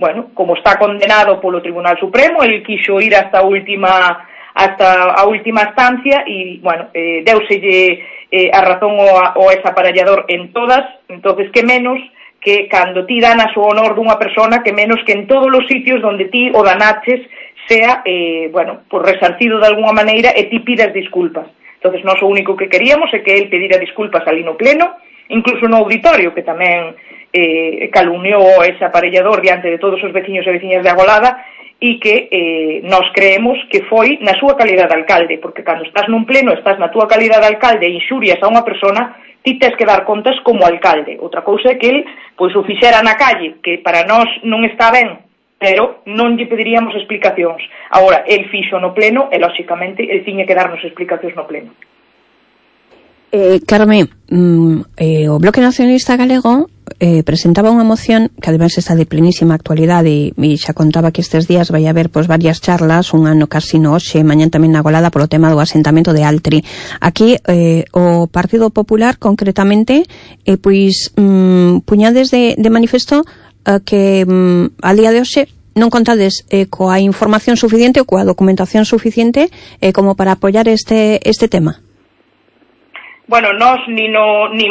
[SPEAKER 6] está condenado polo Tribunal Supremo. El quixo ir hasta a última instancia e, deuselle a razón ao ex-aparellador en todas. Entonces, que menos que cando ti danas o honor dunha persona, que menos que en todos os sitios donde ti o danaches sea, resarcido de alguna maneira e ti pidas disculpas. Entonces, nós o único que queríamos é que el pedira disculpas ali no pleno, incluso no auditorio, que tamén calumniou ese aparellador diante de todos os veciños e veciñas de Agolada e que nós creemos que foi na súa calidad de alcalde, porque cando estás nun pleno, estás na túa calidad de alcalde e inxurias a unha persona, ti tes que dar contas como alcalde. Outra cousa é que el pois o fixera na calle, que para nós non está ben, pero non lle pediríamos explicacións. Agora, el fixo no pleno e, lóxicamente, el tiña que darnos explicacións no pleno.
[SPEAKER 4] Carme, o Bloque Nacionalista Galego presentaba unha moción que ademais está de plenísima actualidade e xa contaba que estes días vai haber pois varias charlas, unha no Casino hoxe, mañán tamén na Agolada polo tema do asentamento de Altri. Aquí o Partido Popular concretamente pois puñades de manifesto que a día de hoxe non contades coa información suficiente ou coa documentación suficiente como para apoiar este tema.
[SPEAKER 6] Bueno, nós nin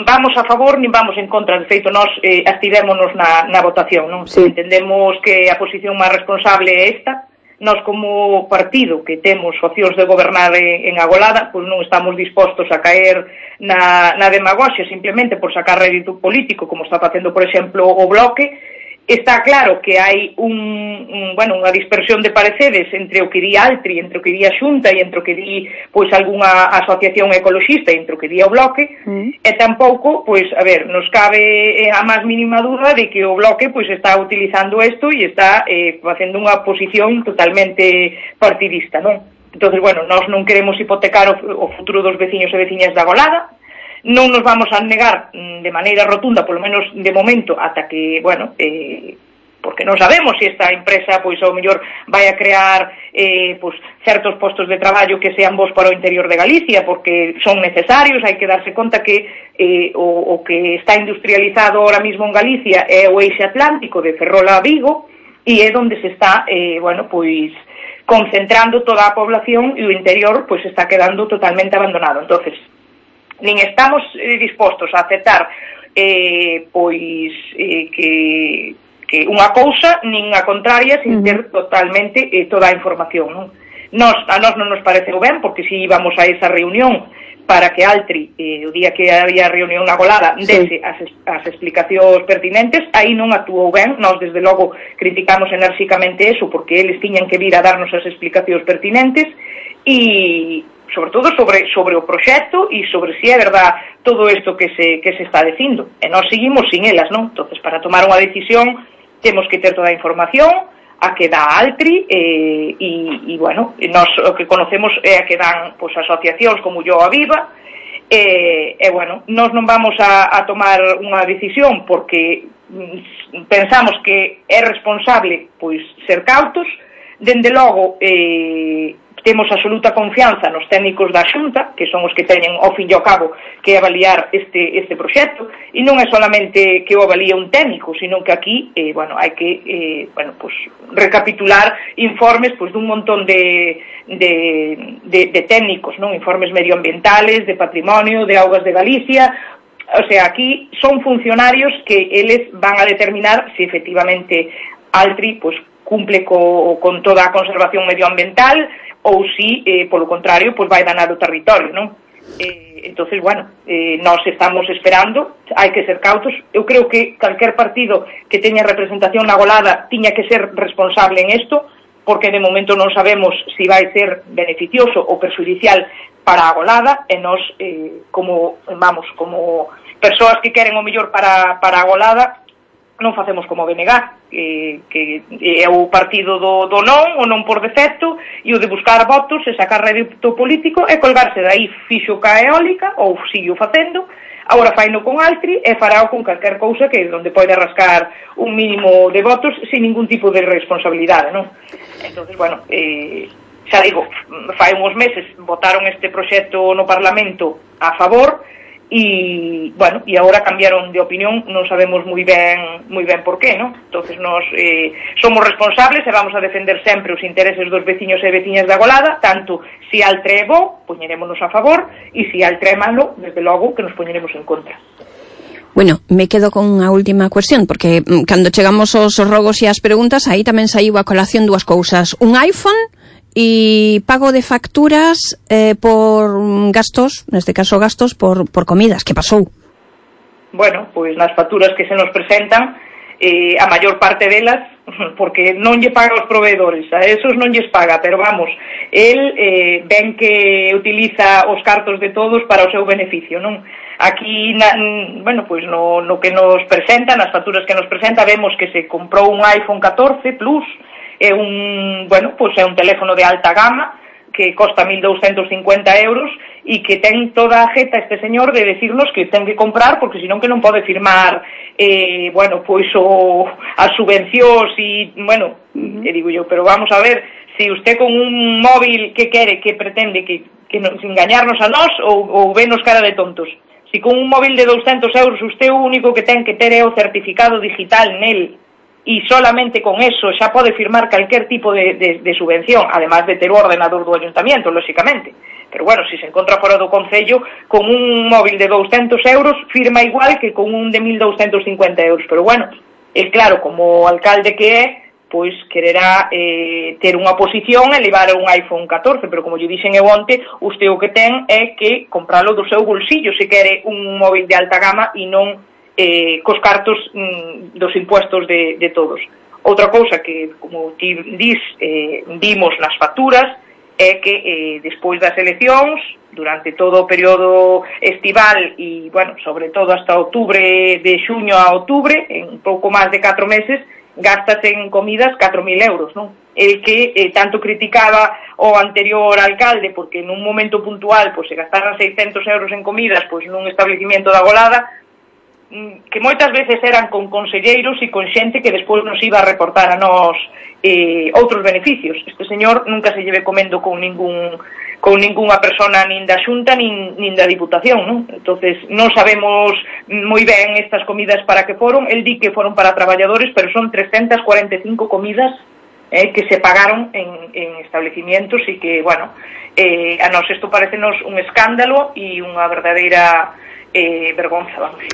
[SPEAKER 6] vamos a favor nin vamos en contra. De feito, nós abstivémonos na votación, non?
[SPEAKER 4] Sí.
[SPEAKER 6] Entendemos que a posición máis responsable é esta. Nós, como partido que temos opcións de gobernar en Agolada, pois non estamos dispostos a caer na demagoxia simplemente por sacar rédito político, como está facendo, por exemplo, o Bloque. Está claro que hai unha dispersión de pareceres entre o que di Altri, entre o que di a Xunta e entre o que di pois algunha asociación ecoloxista e entre o que di o Bloque, e tampouco, pois, a ver, nos cabe a máis mínima dúda de que o Bloque pois está utilizando isto e está facendo unha posición totalmente partidista, non? Entonces, bueno, nós non queremos hipotecar o futuro dos veciños e veciñas da Agolada. Non nos vamos a negar de maneira rotunda, polo menos de momento, ata que, bueno, porque non sabemos se esta empresa, pois, ao mellor vai a crear pois, certos postos de traballo que sean bons para o interior de Galicia, porque son necesarios. Hai que darse conta que o que está industrializado ahora mismo en Galicia é o eixe atlántico de Ferrol a Vigo, e é onde se está, bueno, pois, concentrando toda a población, e o interior, pois, está quedando totalmente abandonado. Entonces, nin estamos dispostos a aceptar que unha cousa nin a contraria sin ter totalmente toda a información, non? A nós non nos pareceu ben, porque si íbamos a esa reunión para que Altri, o día que había reunión na Agolada, dese as explicacións pertinentes, aí non actuou ben. Nós, desde logo, criticamos enérxicamente eso, porque eles tiñan que vir a darnos as explicacións pertinentes e sobre todo sobre o proxecto e sobre si é verdad todo isto que se está dicindo. E nós seguimos sin elas, non? Entonces, para tomar unha decisión temos que ter toda a información a que dá Altri e bueno, nós o que conocemos é a que dan pois, asociacións como Yo a Viva e bueno, nós non vamos a tomar unha decisión porque pensamos que é responsable pois ser cautos. Dende logo temos absoluta confianza nos técnicos da Xunta, que son os que teñen ao fin e ao cabo que avaliar este proxecto, e non é solamente que o avalía un técnico, sino que aquí, bueno, hai que, pues, recapitular informes, pues, dun montón de técnicos, non? Informes medioambientales, de patrimonio, de augas de Galicia. O sea, aquí son funcionarios que eles van a determinar se efectivamente Altri, pues, cumple con toda a conservación medioambiental ou si, polo contrario, pues vai danar o territorio, non? Entonces, bueno, nós estamos esperando, hai que ser cautos. Eu creo que calquer partido que teña representación na Agolada tiña que ser responsable en isto, porque de momento non sabemos se vai ser beneficioso ou perxudicial para a Agolada, e nós, como persoas que queren o mellor para a Agolada, non facemos como BNG, que é o partido do non, o non por defecto, e o de buscar votos e sacar rédito político e colgarse dai fixo ca eólica, ou sigo facendo, agora faino con Altri e farao con calquer cousa que onde pode rascar un mínimo de votos sin ningún tipo de responsabilidade, non? Entonces, bueno, xa digo, fai uns meses votaron este proxecto no Parlamento a favor, e, bueno, e agora cambiaron de opinión, non sabemos moi ben por qué, non? Entonces, nós somos responsables e vamos a defender sempre os intereses dos veciños e veciñas da Agolada, tanto si Altri é bo, poñerémonos a favor, e si Altri é malo, desde logo, que nos poñeremos en contra.
[SPEAKER 4] Bueno, me quedo con unha última cuestión, porque cando chegamos aos rogos e as preguntas, aí tamén saiu a colación dúas cousas. Un iPhone e pago de facturas por gastos, neste caso gastos por comidas. Que pasou?
[SPEAKER 6] bueno, pois nas facturas que se nos presentan, a maior parte delas, porque non lle paga aos proveedores, a esos non lles paga, pero vamos, el ven que utiliza os cartos de todos para o seu beneficio, non? Aquí, bueno, pois no que nos presenta, nas facturas que nos presenta, vemos que se comprou un iPhone 14 Plus, é un teléfono de alta gama, que costa 1.250 euros e que ten toda a jeta este señor de decirnos que ten que comprar porque senón que non pode firmar as subvencións e, digo yo, pero vamos a ver, si usted con un móvil que quere, que pretende que nos engañarnos a nós ou venos cara de tontos, si con un móvil de 200 euros usted o único que ten que ter é o certificado digital nel e solamente con eso xa pode firmar calquer tipo de subvención, además de ter o ordenador do ayuntamiento, lóxicamente. Pero bueno, si se encontra fora do concello, con un móvil de 200 euros firma igual que con un de 1.250 euros. Pero bueno, claro, como alcalde que é, pois quererá ter unha posición e levar un iPhone 14, pero como lle dixen eu onte, usted o que ten é que compralo do seu bolsillo se quere un móvil de alta gama e non cos cartos dos impuestos de todos. Outra cousa que, como ti vimos nas facturas, é que despois das eleccións, durante todo o período estival e, sobre todo hasta de xuño a outubro, en pouco máis de 4 meses, gastase en comidas 4.000 euros, non? El que tanto criticaba o anterior alcalde porque nun momento puntual se gastaran 600 euros en comidas nun establecimiento da Golada, que moitas veces eran con conselleiros e con xente que despois nos iba a reportar a nós outros beneficios. Este señor nunca se lleve comendo con ningunha persona nin da Xunta nin da Diputación, non? Entonces non sabemos moi ben estas comidas para que foron. El di que foron para traballadores, pero son 345 comidas que se pagaron en establecimientos e que, a nós isto parecenos un escándalo e unha verdadeira vergonza, vamos.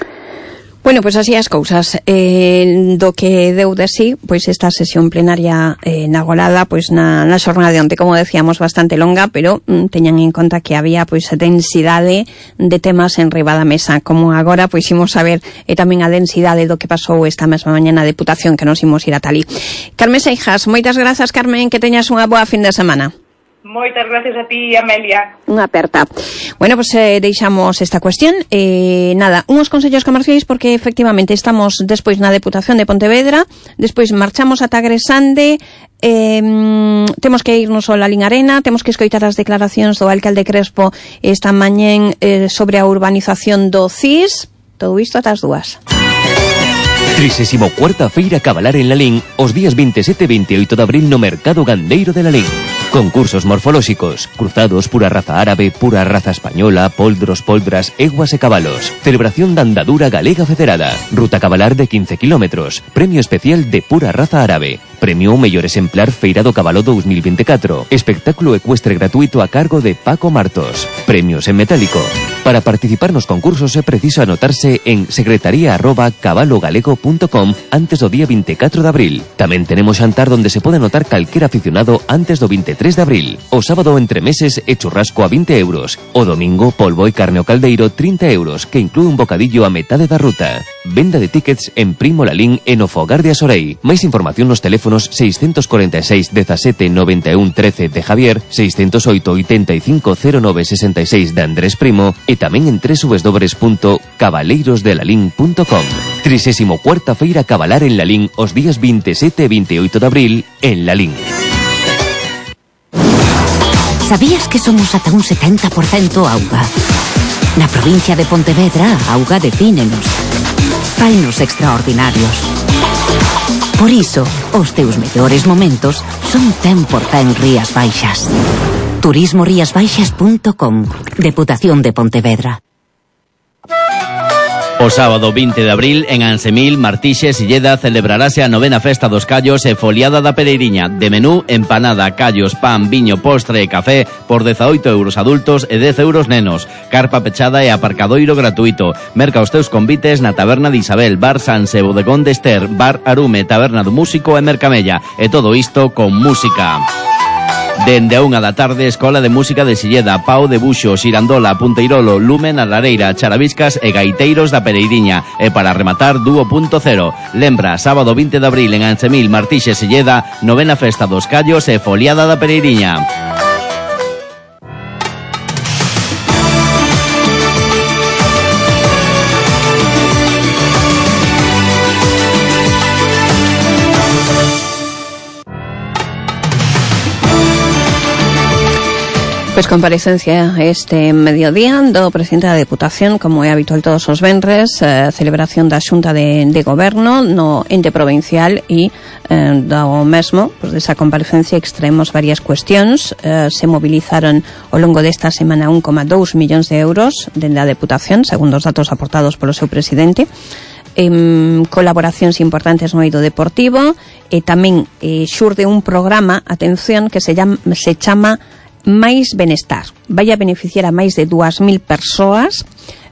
[SPEAKER 4] Bueno, pois así as cousas. Do que deu de sí, pois esta sesión plenaria na Golada, pois na xornada de onte, como decíamos, bastante longa, pero teñan en conta que había pois a densidade de temas en riba da mesa, como agora pois imos a ver tamén a densidade do que pasou esta mesma mañana na Deputación, que nos imos ir a Talí. Carmen Seijas, moitas grazas, Carmen, que teñas unha boa fin de semana.
[SPEAKER 6] Moitas gracias a ti, Amelia.
[SPEAKER 4] Unha aperta. Bueno, pues deixamos esta cuestión. Unhos consellos comerciais, porque efectivamente estamos despois na Deputación de Pontevedra, despois marchamos ata Gresande, temos que irnos ao Lalín Arena, temos que escoitar as declaracións do alcalde Crespo esta mañén sobre a urbanización do CIS. Todo isto ata as 2.
[SPEAKER 2] 34ª Feira Cabalar en Lalín os días 27 e 28 de abril no Mercado Gandeiro de Lalín. Concursos morfolóxicos, cruzados, pura raza árabe, pura raza española, poldros, poldras, eguas e cabalos. Celebración da andadura galega federada. Ruta cabalar de 15 kilómetros. Premio especial de pura raza árabe. Premio ao mellor exemplar Feira do Cabalo 2024. Espectáculo ecuestre gratuito a cargo de Paco Martos. Premios en metálico. Para participar nos concursos é preciso anotarse en secretaría@cabalogalego.com antes do día 24 de abril. Tamén tenemos xantar donde se pode anotar calquer aficionado antes do 23 de abril. O sábado entre meses e churrasco a 20 euros. O domingo polvo e carne ao caldeiro 30 euros, que inclúe un bocadillo a metade da ruta. Venda de tickets en Primo Lalín e no Fogar de Asorei. Máis información nos teléfonos 646 17 91 13 de Javier, 608 85 09 66 de Andrés Primo e tamén en www.cabaleirosdelalín.com. 34ª Feira Cabalar en Lalín os días 27 e 28 de abril en Lalín.
[SPEAKER 7] Sabías que somos ata un 70% auga? Na provincia de Pontevedra, a auga defínenos. Fainos extraordinarios. Por iso, os teus mellores momentos son 100% Rías Baixas. turismoriasbaixas.com. Deputación de Pontevedra.
[SPEAKER 8] O sábado 20 de abril, en Ansemil, Martixes e Lleda, celebrarase a 9ª Festa dos Callos e Foliada da Pereiriña. De menú, empanada, callos, pan, viño, postre e café por 18 euros adultos e 10 euros nenos. Carpa pechada e aparcadoiro gratuito. Merca os teus convites na Taberna de Isabel, Bar Sanse, Bodegón de Ester, Bar Arume, Taberna do Músico e Mercamella. E todo isto con música. Dende a 1 da tarde, Escola de Música de Silleda, Pau de Buxo, Xirandola, Punteirolo, Lumen, a Lareira, Charaviscas e Gaiteiros da Pereiriña. E para rematar, Dúo Punto Cero. Lembra, sábado 20 de abril en Ansemil, Martínez Silleda, 9ª Festa dos Callos e Foliada da Pereiriña.
[SPEAKER 4] Pois comparecencia este mediodía do presidente da Deputación, como é habitual todos os venres, celebración da Xunta de Goberno no ente provincial e do mesmo, pois desa comparecencia extraemos varias cuestións. Se movilizaron ao longo desta semana 1,2 millóns de euros dende a Deputación, segundo os datos aportados polo seu presidente. Colaboracións importantes no eido deportivo e tamén xurde un programa, atención, que se chama Mais Benestar. Vai a beneficiar a máis de 2.000 persoas.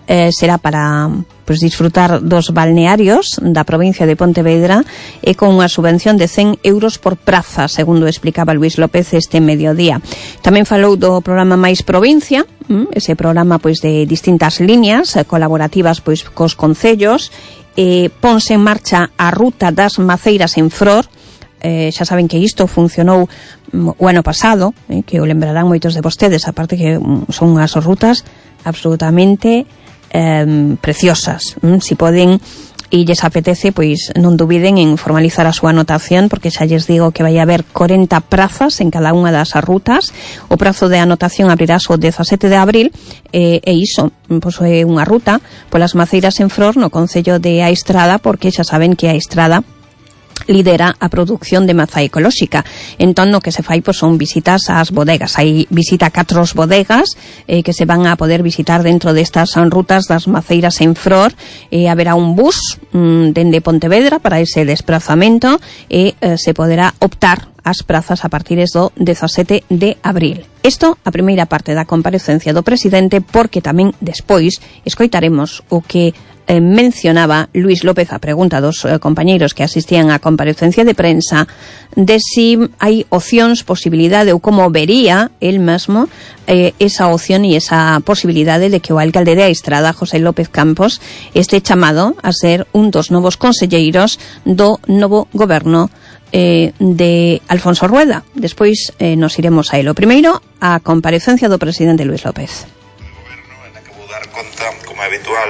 [SPEAKER 4] Será para disfrutar dos balnearios da provincia de Pontevedra e con unha subvención de 100 euros por praza, segundo explicaba Luís López este mediodía. Tamén falou do programa Mais Provincia, ese programa de distintas líneas colaborativas cos concellos. Ponse en marcha a ruta das maceiras en Fror. Xa saben que isto funcionou o ano pasado, que o lembrarán moitos de vostedes, aparte que son unhas rutas absolutamente preciosas. Si poden e lles apetece, non dubiden en formalizar a súa anotación, porque xa lles digo que vai haber 40 prazas en cada unha das rutas. O prazo de anotación abrirás o 17 de abril e iso é unha ruta polas maceiras en Fror no concello de A Estrada, porque xa saben que A Estrada lidera a produción de maza ecolóxica. Entón, o que se fai son visitas ás bodegas. Hai visita a 4 bodegas que se van a poder visitar dentro destas rutas das maceiras en Fror. Haberá un bus dende Pontevedra para ese desplazamento e se poderá optar as prazas a partir do 17 de abril. Isto a primeira parte da comparecencia do presidente, porque tamén despois escoitaremos o que mencionaba Luís López a pregunta dos compañeiros que asistían á comparecencia de prensa de si hai opcións, posibilidade ou como vería el mesmo esa opción e esa posibilidade de que o alcalde de A Estrada, José López Campos, este chamado a ser un dos novos conselleiros do novo goberno de Alfonso Rueda. Despois nos iremos a elo. Primeiro, a comparecencia do presidente Luís López.
[SPEAKER 9] O goberno en que vou dar conta, como é habitual,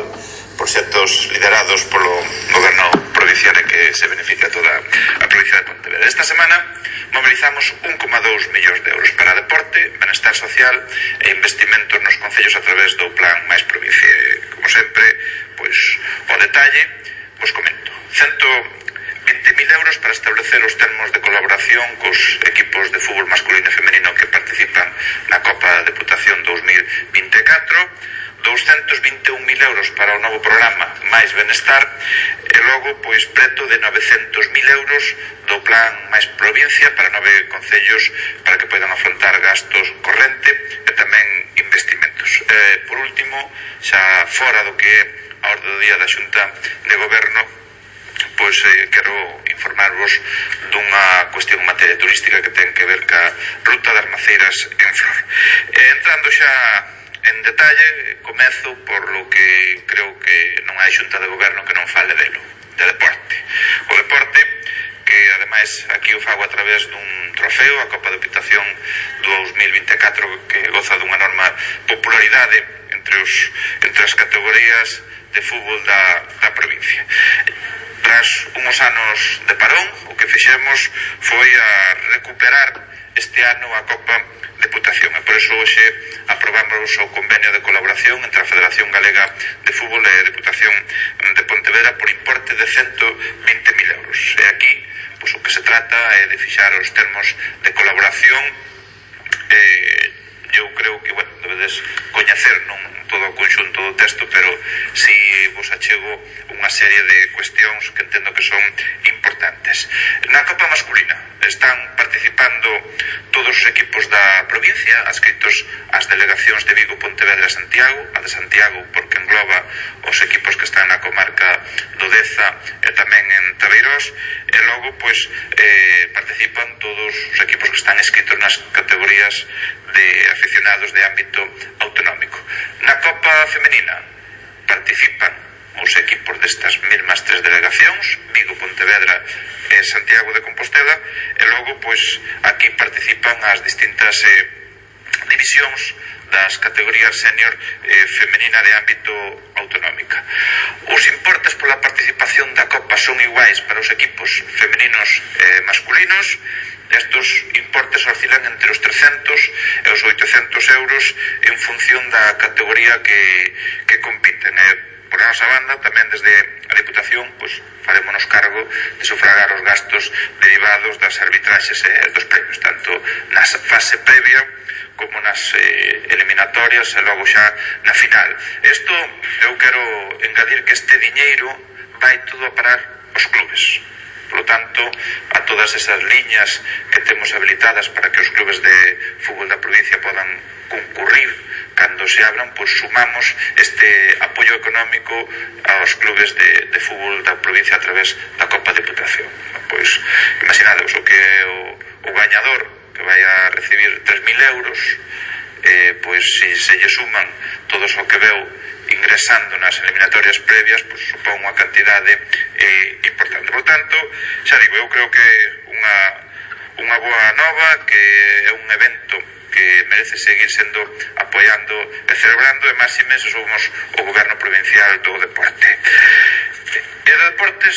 [SPEAKER 9] proxectos liderados polo goberno provincial e que se beneficia toda a provincia de Pontevedra. Esta semana mobilizamos 1,2 millóns de euros para deporte, benestar social e investimentos nos concellos a través do plan Mais Provincia. Como sempre, o detalle vos comento. 120.000 euros para establecer os termos de colaboración cos equipos de fútbol masculino e femenino que participan na Copa da Deputación 2024, 221.000 euros para o novo programa Mais Benestar e logo preto de 900.000 euros do plan Mais Provincia para 9 concellos para que poidan afrontar gastos corrente e tamén investimentos. Por último, xa fora do que é a orde do día da Xunta de Goberno, quero informarvos dunha cuestión en materia turística que ten que ver ca ruta das maceiras en Flor. Entrando xa en detalle, comezo por lo que creo que non hai Xunta de Goberno que non fale delo, de deporte. O deporte, que ademais aquí o fago a través dun trofeo, a Copa de Deputación 2024, que goza dunha enorme popularidade entre as categorías de fútbol da provincia. Tras unhos anos de parón, o que fixemos foi a recuperar este ano a Copa Deputación, e por iso hoxe aprobamos o convenio de colaboración entre a Federación Galega de Fútbol e a Deputación de Pontevedra por importe de 120.000 euros. E aquí, o que se trata é de fixar os termos de colaboración. Eu creo que, debedes coñecer non todo o conxunto do texto, pero si vos achego unha serie de cuestións que entendo que son importantes. Na Copa masculina están participando todos os equipos da provincia, adscritos ás delegacións de Vigo, Pontevedra e Santiago, a de Santiago porque engloba os equipos que están na comarca do Deza e tamén en Tabeirós, e logo pois participan todos os equipos que están inscritos nas categorías de aficionados de ámbito autonómico. Na Copa Femenina participan os equipos destas mesmas tres delegacións, Vigo, Pontevedra e Santiago de Compostela, e logo pois aquí participan as distintas divisións das categorías senior femenina de ámbito autonómica. Os importes pola participación da Copa son iguais para os equipos femeninos e masculinos. Estos importes oscilan entre os 300 e os 800 euros en función da categoría que compiten. Por a nosa banda, tamén desde a Diputación, pois farémonos cargo de sufragar os gastos derivados das arbitraxes e dos premios, tanto na fase previa como nas eliminatorias e logo xa na final. Isto, eu quero engadir que este diñeiro vai todo a parar aos clubes. Por lo tanto, a todas esas liñas que temos habilitadas para que os clubes de fútbol da provincia podan concurrir cando se abran, pois sumamos este apoio económico aos clubes de fútbol da provincia a través da Copa Diputación. Pois, imaginadevos o que é o gañador que vai a recibir 3.000 euros, pois se lle suman todos o que veu ingresando nas eliminatorias previas, pois supón unha cantidade importante. Por tanto, xa digo, eu creo que unha boa nova, que é un evento que merece seguir sendo apoiando e celebrando, e máxime se somos o goberno provincial do deporte. E de deportes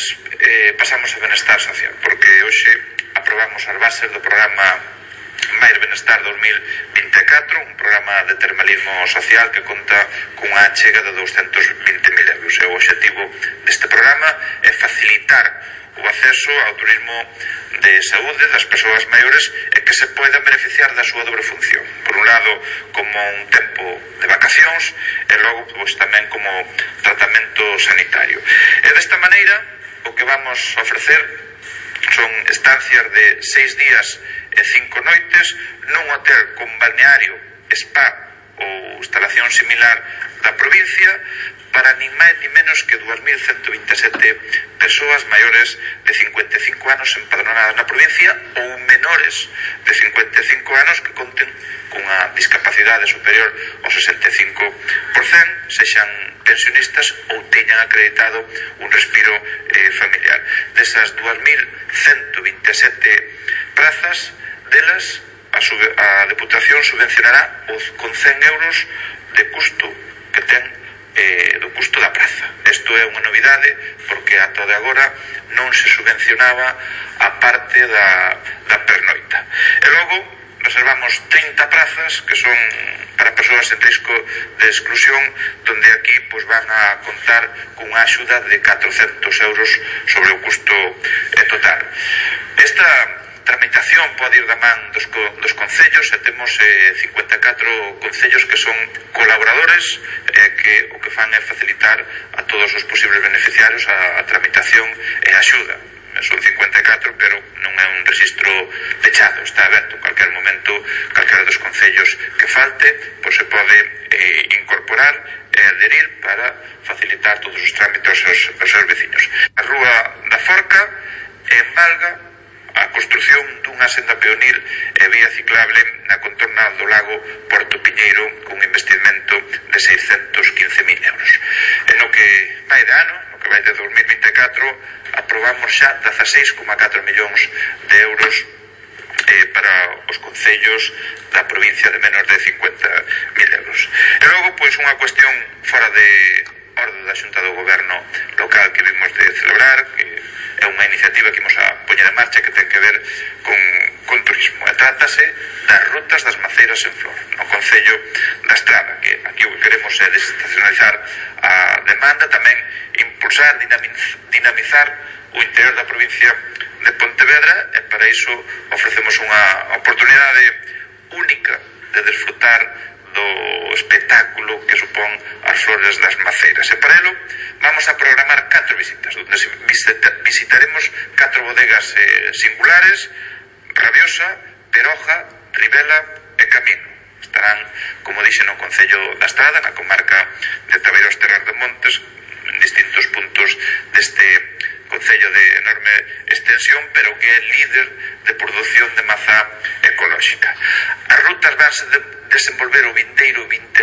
[SPEAKER 9] pasamos a benestar social, porque hoxe aprobamos as bases do programa Mais Benestar 2024, un programa de termalismo social que conta cunha achega de 220.000 euros. E o objetivo deste programa é facilitar o acceso ao turismo de saúde das persoas maiores e que se poidan beneficiar da súa dobre función. Por un lado, como un tempo de vacacións, e logo pois tamén como tratamento sanitario. E desta maneira, o que vamos a ofrecer son estancias de 6 días e 5 noites nun hotel con balneario, spa ou instalación similar da provincia para nin máis ni menos que 2.127 persoas maiores de 55 anos empadronadas na provincia ou menores de 55 anos que conten cunha discapacidade superior ao 65%, sexan pensionistas ou teñan acreditado un respiro familiar. Desas 2.127 prazas, delas a Deputación subvencionará con 100 euros de custo que ten do custo da praza. Isto é unha novidade porque ata de agora non se subvencionaba a parte da pernoita. E logo reservamos 30 prazas que son para persoas en risco de exclusión, donde aquí pois van a contar cunha axuda de 400 euros sobre o custo total. Esta tramitación pode ir da man dos concellos, e temos 54 concellos que son colaboradores que o que fan é facilitar a todos os posibles beneficiarios a tramitación e a axuda. Son 54, pero non é un registro pechado, está aberto en cualquier momento. Calquera dos concellos que falte pois se pode incorporar e adherir para facilitar todos os trámites aos seus veciños. A Rúa da Forca, en Valga, a construción dunha senda peonil e vía ciclable na contorna do lago Porto Piñeiro con un investimento de 615.000 euros. E no que vai de ano, no que vai de 2024, aprobamos xa 16,4 millóns de euros para os concellos da provincia de menos de 50.000 euros. E logo, pois, unha cuestión fora de orde da Xunta do Goberno local que vimos de celebrar, que é unha iniciativa que imos a poñer en marcha que ten que ver con turismo. E trátase das rutas das maceiras en flor no Concello da Estrada, que aquí o que queremos é desestacionalizar a demanda, tamén impulsar, dinamizar o interior da provincia de Pontevedra, e para iso ofrecemos unha oportunidade única de desfrutar do espectáculo que supón as flores das maceiras. E para ello vamos a programar 4 visitas, onde visitaremos 4 bodegas singulares: Rabiosa, Peroja, Ribela e Camino. Estarán, como dixen, no Concello da Estrada, na comarca de Tabeiros Terras montes en distintos puntos deste concello de enorme extensión, pero que é líder de produción de mazá ecolóxica. As rutas vanse desenvolver o vindeiro 27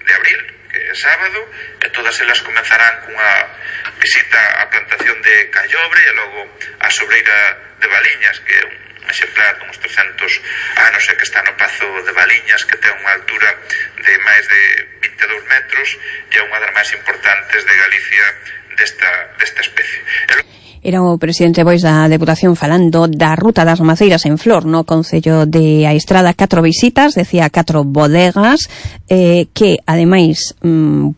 [SPEAKER 9] de abril, que é sábado, e todas elas comenzarán cunha visita á plantación de Callobre e logo á sobreira de Valiñas, que é un exemplar de uns 300 anos e que está no Pazo de Valiñas, que ten unha altura de máis de 22 metros e é unha das máis importantes de Galicia desta especie.
[SPEAKER 4] Era o presidente Bois da Deputación falando da Ruta das Maceiras en Flor no concello de Aistrada. 4 visitas, decía 4 bodegas, que ademais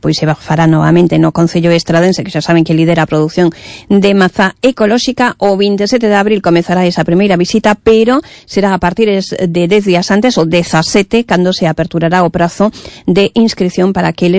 [SPEAKER 4] pois se fará novamente no concello estradense, que xa saben que lidera a produción de mazá ecolóxica. O 27 de abril comezará esa primeira visita, pero será a partir de 10 días antes, o 17, cando se aperturará o prazo de inscripción para aqueles